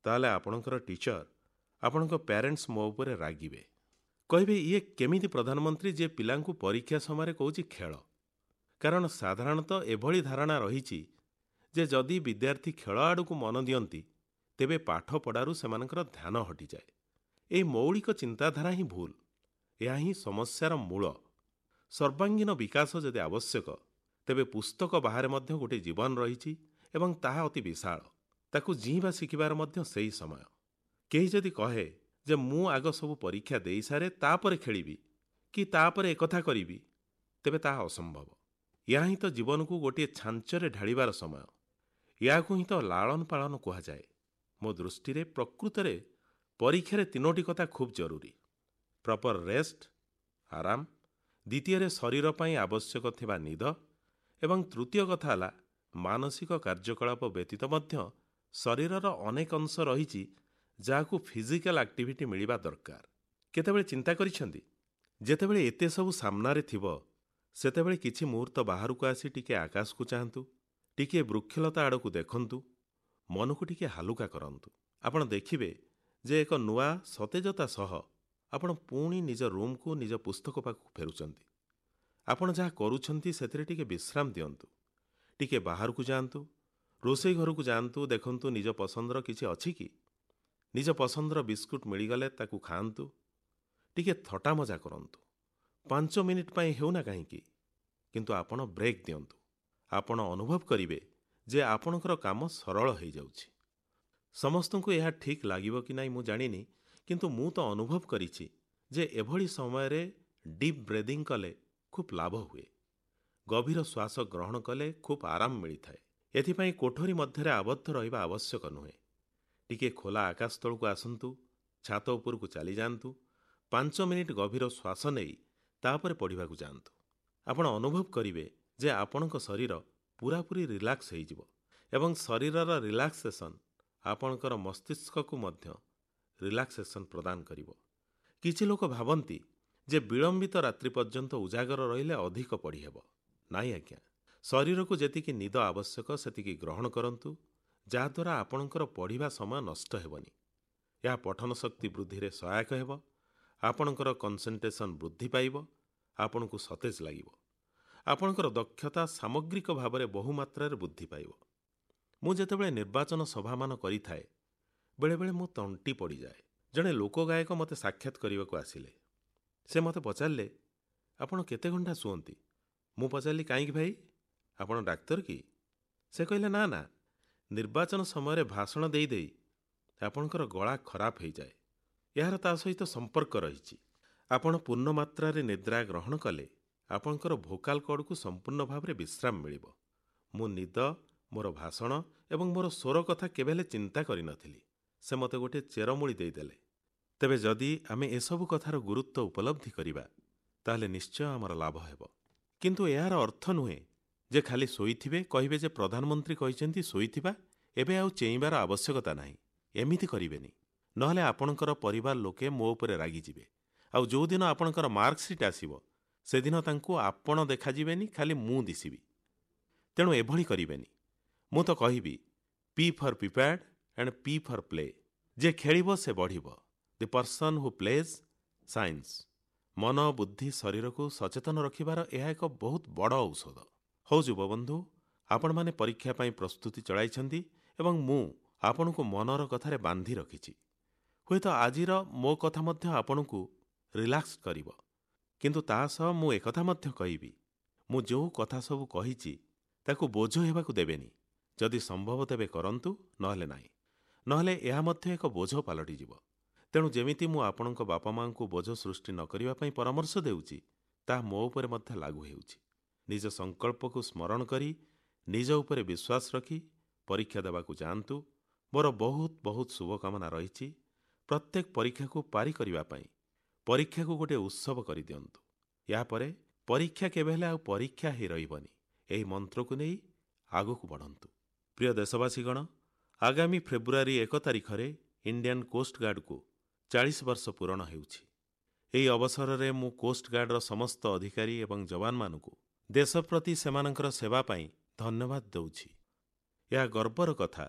ତାହେଲେ ଆପଣଙ୍କର ଟିଚର, ଆପଣଙ୍କ ପ୍ୟାରେଣ୍ଟସ୍ ମୋ ଉପରେ ରାଗିବେ। କହିବେ, ଇଏ କେମିତି ପ୍ରଧାନମନ୍ତ୍ରୀ ଯିଏ ପିଲାଙ୍କୁ ପରୀକ୍ଷା ସମୟରେ କହୁଛି ଖେଳ? କାରଣ ସାଧାରଣତଃ ଏଭଳି ଧାରଣା ରହିଛି ଯେ ଯଦି ବିଦ୍ୟାର୍ଥୀ ଖେଳ ଆଡ଼କୁ ମନ ଦିଅନ୍ତି, ତେବେ ପାଠପଢ଼ାରୁ ସେମାନଙ୍କର ଧ୍ୟାନ ହଟିଯାଏ। ଏହି ମୌଳିକ ଚିନ୍ତାଧାରା ହିଁ ଭୁଲ। ଏହା ହିଁ ସମସ୍ୟାର ମୂଳ। ସର୍ବାଙ୍ଗୀନ ବିକାଶ ଯଦି ଆବଶ୍ୟକ, ତେବେ ପୁସ୍ତକ ବାହାରେ ମଧ୍ୟ ଗୋଟିଏ ଜୀବନ ରହିଛି ଏବଂ ତାହା ଅତି ବିଶାଳ। ତାକୁ ଜିଇଁବା ଶିଖିବାର ମଧ୍ୟ ସେହି ସମୟ। କେହି ଯଦି କହେ ଯେ ମୁଁ ଆଗ ସବୁ ପରୀକ୍ଷା ଦେଇସାରେ ତାପରେ ଖେଳିବି କି ତାପରେ ଏକଥା କରିବି, ତେବେ ତାହା ଅସମ୍ଭବ। ଏହା ହିଁ ତ ଜୀବନକୁ ଗୋଟିଏ ଛାଞ୍ଚରେ ଢାଳିବାର ସମୟ। ଏହାକୁ ହିଁ ତ ଲାଳନ ପାଳନ କୁହାଯାଏ। ମୋ ଦୃଷ୍ଟିରେ ପ୍ରକୃତରେ ପରୀକ୍ଷାରେ ତିନୋଟି କଥା ଖୁବ୍ ଜରୁରୀ। ପ୍ରପର ରେଷ୍ଟ, ଆରାମ, ଦ୍ୱିତୀୟରେ ଶରୀର ପାଇଁ ଆବଶ୍ୟକ ଥିବା ନିଦ ଏବଂ ତୃତୀୟ କଥା ହେଲା ମାନସିକ କାର୍ଯ୍ୟକଳାପ ବ୍ୟତୀତ ମଧ୍ୟ ଶରୀରର ଅନେକ ଅଂଶ ରହିଛି ଯାହାକୁ ଫିଜିକାଲ ଆକ୍ଟିଭିଟି ମିଳିବା ଦରକାର। କେତେବେଳେ ଚିନ୍ତା କରିଛନ୍ତି, ଯେତେବେଳେ ଏତେ ସବୁ ସାମ୍ନାରେ ଥିବ, ସେତେବେଳେ କିଛି ମୁହୂର୍ତ୍ତ ବାହାରକୁ ଆସି ଟିକେ ଆକାଶକୁ ଚାହାନ୍ତୁ, ଟିକିଏ ବୃକ୍ଷଲତା ଆଡ଼କୁ ଦେଖନ୍ତୁ, ମନକୁ ଟିକିଏ ହାଲୁକା କରନ୍ତୁ। ଆପଣ ଦେଖିବେ ଯେ ଏକ ନୂଆ ସତେଜତା ସହ ଆପଣ ପୁଣି ନିଜ ରୁମ୍କୁ, ନିଜ ପୁସ୍ତକ ପାଖକୁ ଫେରୁଛନ୍ତି। ଆପଣ ଯାହା କରୁଛନ୍ତି ସେଥିରେ ଟିକେ ବିଶ୍ରାମ ଦିଅନ୍ତୁ। ଟିକେ ବାହାରକୁ ଯାଆନ୍ତୁ, ରୋଷେଇ ଘରକୁ ଯାଆନ୍ତୁ, ଦେଖନ୍ତୁ ନିଜ ପସନ୍ଦର କିଛି ଅଛି କି। ନିଜ ପସନ୍ଦର ବିସ୍କୁଟ ମିଳିଗଲେ ତାକୁ ଖାଆନ୍ତୁ। ଟିକେ ଥଟା ମଜା କରନ୍ତୁ, 5 ମିନିଟ୍ ପାଇଁ ହେଉନା କାହିଁକି, କିନ୍ତୁ ଆପଣ ବ୍ରେକ୍ ଦିଅନ୍ତୁ। ଆପଣ ଅନୁଭବ କରିବେ ଯେ ଆପଣଙ୍କର କାମ ସରଳ ହେଇଯାଉଛି। ସମସ୍ତଙ୍କୁ ଏହା ଠିକ୍ ଲାଗିବ କି ନାହିଁ ମୁଁ ଜାଣିନି, କିନ୍ତୁ ମୁଁ ତ ଅନୁଭବ କରିଛି ଯେ ଏଭଳି ସମୟରେ ଡିପ୍ ବ୍ରେଦିଂ କଲେ ଖୁବ୍ ଲାଭ ହୁଏ। ଗଭୀର ଶ୍ୱାସ ଗ୍ରହଣ କଲେ ଖୁବ୍ ଆରାମ ମିଳିଥାଏ। ଏଥିପାଇଁ କୋଠରୀ ମଧ୍ୟରେ ଆବଦ୍ଧ ରହିବା ଆବଶ୍ୟକ ନୁହେଁ। ଟିକିଏ ଖୋଲା ଆକାଶ ତଳକୁ ଆସନ୍ତୁ, ଛାତ ଉପରକୁ ଚାଲିଯାଆନ୍ତୁ, 5 ମିନିଟ୍ ଗଭୀର ଶ୍ୱାସ ନେଇ ତାପରେ ପଢ଼ିବାକୁ ଯାଆନ୍ତୁ। ଆପଣ ଅନୁଭବ କରିବେ ଯେ ଆପଣଙ୍କ ଶରୀର ପୂରାପୂରି ରିଲାକ୍ସ ହେଇଯିବ ଏବଂ ଶରୀରର ରିଲାକ୍ସେସନ୍ ଆପଣଙ୍କର ମସ୍ତିଷ୍କକୁ ମଧ୍ୟ ରିଲାକ୍ସେସନ୍ ପ୍ରଦାନ କରିବ। କିଛି ଲୋକ ଭାବନ୍ତି ଯେ ବିଳମ୍ବିତ ରାତ୍ରି ପର୍ଯ୍ୟନ୍ତ ଉଜାଗର ରହିଲେ ଅଧିକ ପଢ଼ିହେବ। ନାଇଁ ଆଜ୍ଞା, ଶରୀରକୁ ଯେତିକି ନିଦ ଆବଶ୍ୟକ ସେତିକି ଗ୍ରହଣ କରନ୍ତୁ, ଯାହାଦ୍ୱାରା ଆପଣଙ୍କର ପଢ଼ିବା ସମୟ ନଷ୍ଟ ହେବନି। ଏହା ପଠନ ଶକ୍ତି ବୃଦ୍ଧିରେ ସହାୟକ ହେବ, ଆପଣଙ୍କର କନସେନ୍ଟ୍ରେସନ୍ ବୃଦ୍ଧି ପାଇବ, ଆପଣଙ୍କୁ ସତେଜ ଲାଗିବ, ଆପଣଙ୍କର ଦକ୍ଷତା ସାମଗ୍ରିକ ଭାବରେ ବହୁମାତ୍ରାରେ ବୃଦ୍ଧି ପାଇବ। ମୁଁ ଯେତେବେଳେ ନିର୍ବାଚନ ସଭାମାନ କରିଥାଏ, ବେଳେବେଳେ ମୋ ତଣ୍ଟି ପଡ଼ିଯାଏ। ଜଣେ ଲୋକଗାୟକ ମୋତେ ସାକ୍ଷାତ କରିବାକୁ ଆସିଲେ। ସେ ମୋତେ ପଚାରିଲେ, ଆପଣ କେତେ ଘଣ୍ଟା ଶୁଅନ୍ତି? ମୁଁ ପଚାରିଲି, କାହିଁକି ଭାଇ, ଆପଣ ଡାକ୍ତର କି? ସେ କହିଲେ, ନା ନା, ନିର୍ବାଚନ ସମୟରେ ଭାଷଣ ଦେଇ ଦେଇ ଆପଣଙ୍କର ଗଳା ଖରାପ ହେଇଯାଏ। ଏହାର ତା ସହିତ ସମ୍ପର୍କ ରହିଛି। ଆପଣ ପୂର୍ଣ୍ଣ ମାତ୍ରାରେ ନିଦ୍ରା ଗ୍ରହଣ କଲେ ଆପଣଙ୍କର ଭୋକାଲ କର୍ଡ଼କୁ ସମ୍ପୂର୍ଣ୍ଣ ଭାବରେ ବିଶ୍ରାମ ମିଳିବ। ମୁଁ ନିଦ, ମୋର ଭାଷଣ ଏବଂ ମୋର ସ୍ୱର କଥା କେବେ ହେଲେ ଚିନ୍ତା କରିନଥିଲି। ସେ ମୋତେ ଗୋଟିଏ ଚେରମୂଳି ଦେଇଦେଲେ। ତେବେ ଯଦି ଆମେ ଏସବୁ କଥାର ଗୁରୁତ୍ୱ ଉପଲବ୍ଧି କରିବା, ତାହେଲେ ନିଶ୍ଚୟ ଆମର ଲାଭ ହେବ। କିନ୍ତୁ ଏହାର ଅର୍ଥ ନୁହେଁ ଯେ ଖାଲି ଶୋଇଥିବେ, କହିବେ ଯେ ପ୍ରଧାନମନ୍ତ୍ରୀ କହିଛନ୍ତି ଶୋଇଥିବା, ଏବେ ଆଉ ଚେଇଁବାର ଆବଶ୍ୟକତା ନାହିଁ। ଏମିତି କରିବେନି, ନହେଲେ ଆପଣଙ୍କର ପରିବାର ଲୋକେ ମୋ ଉପରେ ରାଗିଯିବେ। ଆଉ ଯେଉଁଦିନ ଆପଣଙ୍କର ମାର୍କସିଟ୍ ଆସିବ, ସେଦିନ ତାଙ୍କୁ ଆପଣ ଦେଖାଯିବେନି, ଖାଲି ମୁଁ ଦିଶିବି। ତେଣୁ ଏଭଳି କରିବେନି। ମୁଁ ତ କହିବି P for prepared and P for play. ଯିଏ ଖେଳିବ ସେ ବଢ଼ିବ। The person who plays shines. ମନ, ବୁଦ୍ଧି, ଶରୀରକୁ ସଚେତନ ରଖିବାର ଏହା ଏକ ବହୁତ ବଡ଼ ଔଷଧ। ହଉ ଯୁବବନ୍ଧୁ, ଆପଣମାନେ ପରୀକ୍ଷା ପାଇଁ ପ୍ରସ୍ତୁତି ଚଳାଇଛନ୍ତି ଏବଂ ମୁଁ ଆପଣଙ୍କୁ ମନର କଥାରେ ବାନ୍ଧି ରଖିଛି। ହୁଏତ ଆଜିର ମୋ କଥା ମଧ୍ୟ ଆପଣଙ୍କୁ ରିଲାକ୍ସ କରିବ, କିନ୍ତୁ ତା ସହ ମୁଁ ଏକଥା ମଧ୍ୟ କହିବି, ମୁଁ ଯେଉଁ କଥା ସବୁ କହିଛି ତାକୁ ବୋଝ ହେବାକୁ ଦେବେନି। ଯଦି ସମ୍ଭବ ତେବେ କରନ୍ତୁ, ନହେଲେ ନାହିଁ। ନହେଲେ ଏହା ମଧ୍ୟ ଏକ ବୋଝ ପାଲଟିଯିବ। ତେଣୁ ଯେମିତି ମୁଁ ଆପଣଙ୍କ ବାପା ମାଆଙ୍କୁ ବୋଝ ସୃଷ୍ଟି ନ କରିବା ପାଇଁ ପରାମର୍ଶ ଦେଉଛି, ତାହା ମୋ ଉପରେ ମଧ୍ୟ ଲାଗୁ ହେଉଛି। ନିଜ ସଂକଳ୍ପକୁ ସ୍ମରଣ କରି ନିଜ ଉପରେ ବିଶ୍ୱାସ ରଖି ପରୀକ୍ଷା ଦେବାକୁ ଯାଆନ୍ତୁ। ମୋର ବହୁତ ବହୁତ ଶୁଭକାମନା ରହିଛି। ପ୍ରତ୍ୟେକ ପରୀକ୍ଷାକୁ ପାରି କରିବା ପାଇଁ ପରୀକ୍ଷାକୁ ଗୋଟିଏ ଉତ୍ସବ କରିଦିଅନ୍ତୁ। ଏହାପରେ ପରୀକ୍ଷା କେବେ ହେଲେ ଆଉ ପରୀକ୍ଷା ହେଇ ରହିବନି। ଏହି ମନ୍ତ୍ରକୁ ନେଇ ଆଗକୁ ବଢ଼ନ୍ତୁ। ପ୍ରିୟ ଦେଶବାସୀଗଣ, ଆଗାମୀ ଫେବୃଆରୀ 1 ତାରିଖରେ ଇଣ୍ଡିଆନ୍ କୋଷ୍ଟଗାର୍ଡକୁ 40 ବର୍ଷ ପୂରଣ ହେଉଛି। ଏହି ଅବସରରେ ମୁଁ କୋଷ୍ଟଗାର୍ଡର ସମସ୍ତ ଅଧିକାରୀ ଏବଂ ଯବାନମାନଙ୍କୁ ଦେଶ ପ୍ରତି ସେମାନଙ୍କର ସେବା ପାଇଁ ଧନ୍ୟବାଦ ଦେଉଛି। ଏହା ଗର୍ବର କଥା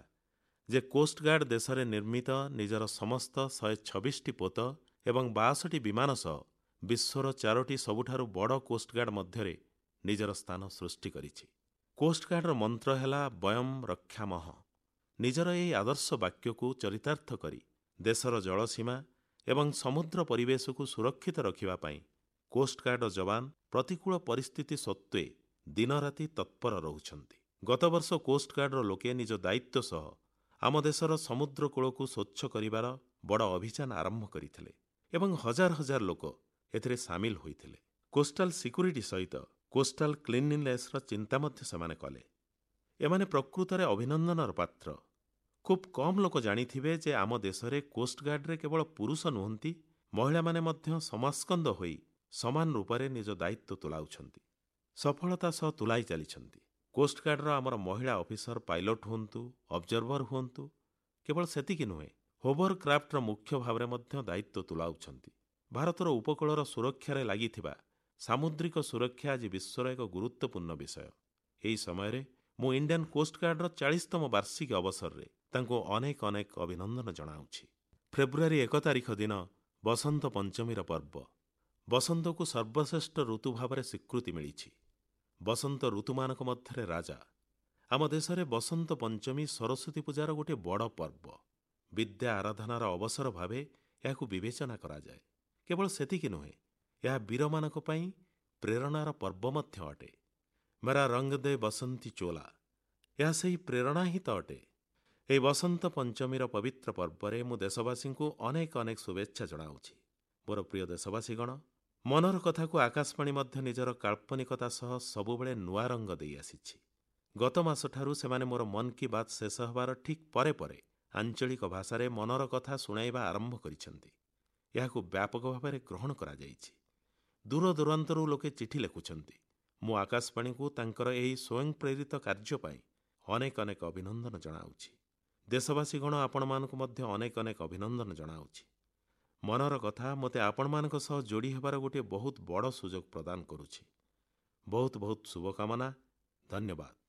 ଯେ କୋଷ୍ଟଗାର୍ଡ ଦେଶରେ ନିର୍ମିତ ନିଜର ସମସ୍ତ 126ଟି ପୋତ ଏବଂ 62 ବିମାନ ସହ ବିଶ୍ୱର 4ଟି ସବୁଠାରୁ ବଡ଼ କୋଷ୍ଟଗାର୍ଡ ମଧ୍ୟରେ ନିଜର ସ୍ଥାନ ସୃଷ୍ଟି କରିଛି। କୋଷ୍ଟଗାର୍ଡର ମନ୍ତ୍ର ହେଲା ବୟମ୍ ରକ୍ଷାମହ। ନିଜର ଏହି ଆଦର୍ଶ ବାକ୍ୟକୁ ଚରିତାର୍ଥ କରି ଦେଶର ଜଳସୀମା ଏବଂ ସମୁଦ୍ର ପରିବେଶକୁ ସୁରକ୍ଷିତ ରଖିବା ପାଇଁ କୋଷ୍ଟଗାର୍ଡର ଯବାନ ପ୍ରତିକୂଳ ପରିସ୍ଥିତି ସତ୍ତ୍ୱେ ଦିନରାତି ତତ୍ପର ରହୁଛନ୍ତି। ଗତବର୍ଷ କୋଷ୍ଟଗାର୍ଡର ଲୋକେ ନିଜ ଦାୟିତ୍ୱ ସହ ଆମ ଦେଶର ସମୁଦ୍ରକୂଳକୁ ସ୍ୱଚ୍ଛ କରିବାର ବଡ଼ ଅଭିଯାନ ଆରମ୍ଭ କରିଥିଲେ ଏବଂ ହଜାର ହଜାର ଲୋକ ଏଥିରେ ସାମିଲ ହୋଇଥିଲେ। କୋଷ୍ଟାଲ ସିକ୍ୟୁରିଟି ସହିତ କୋଷ୍ଟାଲ କ୍ଲିନଲିନେସ୍ର ଚିନ୍ତା ମଧ୍ୟ ସେମାନେ କଲେ। ଏମାନେ ପ୍ରକୃତରେ ଅଭିନନ୍ଦନର ପାତ୍ର। ଖୁବ୍ କମ୍ ଲୋକ ଜାଣିଥିବେ ଯେ ଆମ ଦେଶରେ କୋଷ୍ଟଗାର୍ଡରେ କେବଳ ପୁରୁଷ ନୁହନ୍ତି, ମହିଳାମାନେ ମଧ୍ୟ ସମାସ୍କନ୍ଦ ହୋଇ ସମାନ ରୂପରେ ନିଜ ଦାୟିତ୍ୱ ତୁଲାଉଛନ୍ତି, ସଫଳତା ସହ ତୁଲାଇ ଚାଲିଛନ୍ତି। କୋଷ୍ଟଗାର୍ଡର ଆମର ମହିଳା ଅଫିସର ପାଇଲଟ ହୁଅନ୍ତୁ, ଅବଜର୍ଭର ହୁଅନ୍ତୁ, କେବଳ ସେତିକି ନୁହେଁ, ହୋଭର କ୍ରାଫ୍ଟର ମୁଖ୍ୟ ଭାବରେ ମଧ୍ୟ ଦାୟିତ୍ୱ ତୁଲାଉଛନ୍ତି। ଭାରତର ଉପକୂଳର ସୁରକ୍ଷାରେ ଲାଗିଥିବା ସାମୁଦ୍ରିକ ସୁରକ୍ଷା ଆଜି ବିଶ୍ୱର ଏକ ଗୁରୁତ୍ୱପୂର୍ଣ୍ଣ ବିଷୟ। ଏହି ସମୟରେ ମୁଁ ଇଣ୍ଡିଆନ୍ କୋଷ୍ଟଗାର୍ଡର 40ତମ ବାର୍ଷିକୀ ଅବସରରେ ତାଙ୍କୁ ଅନେକ ଅନେକ ଅଭିନନ୍ଦନ ଜଣାଉଛି। ଫେବୃଆରୀ 1 ତାରିଖ ଦିନ ବସନ୍ତ ପଞ୍ଚମୀର ପର୍ବ। ବସନ୍ତକୁ ସର୍ବଶ୍ରେଷ୍ଠ ଋତୁ ଭାବରେ ସ୍ୱୀକୃତି ମିଳିଛି। ବସନ୍ତ ଋତୁମାନଙ୍କ ମଧ୍ୟରେ ରାଜା। ଆମ ଦେଶରେ ବସନ୍ତ ପଞ୍ଚମୀ ସରସ୍ୱତୀ ପୂଜାର ଗୋଟିଏ ବଡ଼ ପର୍ବ। ବିଦ୍ୟା ଆରାଧନାର ଅବସର ଭାବେ ଏହାକୁ ବିବେଚନା କରାଯାଏ। କେବଳ ସେତିକି ନୁହେଁ, ଏହା ବୀରମାନଙ୍କ ପାଇଁ ପ୍ରେରଣାର ପର୍ବ ମଧ୍ୟ ଅଟେ। ମେରା ରଙ୍ଗ ଦେ ବସନ୍ତୀ ଚୋଲା, ଏହା ସେହି ପ୍ରେରଣା ହିଁ ତ ଅଟେ। ଏହି ବସନ୍ତ ପଞ୍ଚମୀର ପବିତ୍ର ପର୍ବରେ ମୁଁ ଦେଶବାସୀଙ୍କୁ ଅନେକ ଅନେକ ଶୁଭେଚ୍ଛା ଜଣାଉଛି। ମୋର ପ୍ରିୟ ଦେଶବାସୀଗଣ, ମନର କଥାକୁ ଆକାଶବାଣୀ ମଧ୍ୟ ନିଜର କାଳ୍ପନିକତା ସହ ସବୁବେଳେ ନୂଆ ରଙ୍ଗ ଦେଇ ଆସିଛି। ଗତ ମାସଠାରୁ ସେମାନେ ମୋର ମନ୍ କି ବାତ୍ ଶେଷ ହେବାର ଠିକ୍ ପରେ ପରେ ଆଞ୍ଚଳିକ ଭାଷାରେ ମନର କଥା ଶୁଣାଇବା ଆରମ୍ଭ କରିଛନ୍ତି। ଏହାକୁ ବ୍ୟାପକ ଭାବରେ ଗ୍ରହଣ କରାଯାଇଛି। ଦୂରଦୂରାନ୍ତରୁ ଲୋକେ ଚିଠି ଲେଖୁଛନ୍ତି। ମୁଁ ଆକାଶବାଣୀକୁ ତାଙ୍କର ଏହି ସ୍ୱୟଂ ପ୍ରେରିତ କାର୍ଯ୍ୟ ପାଇଁ ଅନେକ ଅନେକ ଅଭିନନ୍ଦନ ଜଣାଉଛି। ଦେଶବାସୀଗଣ, ଆପଣମାନଙ୍କୁ ମଧ୍ୟ ଅନେକ ଅନେକ ଅଭିନନ୍ଦନ ଜଣାଉଛି। ମନର କଥା ମୋତେ ଆପଣମାନଙ୍କ ସହ ଯୋଡ଼ି ହେବାର ଗୋଟିଏ ବହୁତ ବଡ଼ ସୁଯୋଗ ପ୍ରଦାନ କରୁଛି। ବହୁତ ବହୁତ ଶୁଭକାମନା। ଧନ୍ୟବାଦ।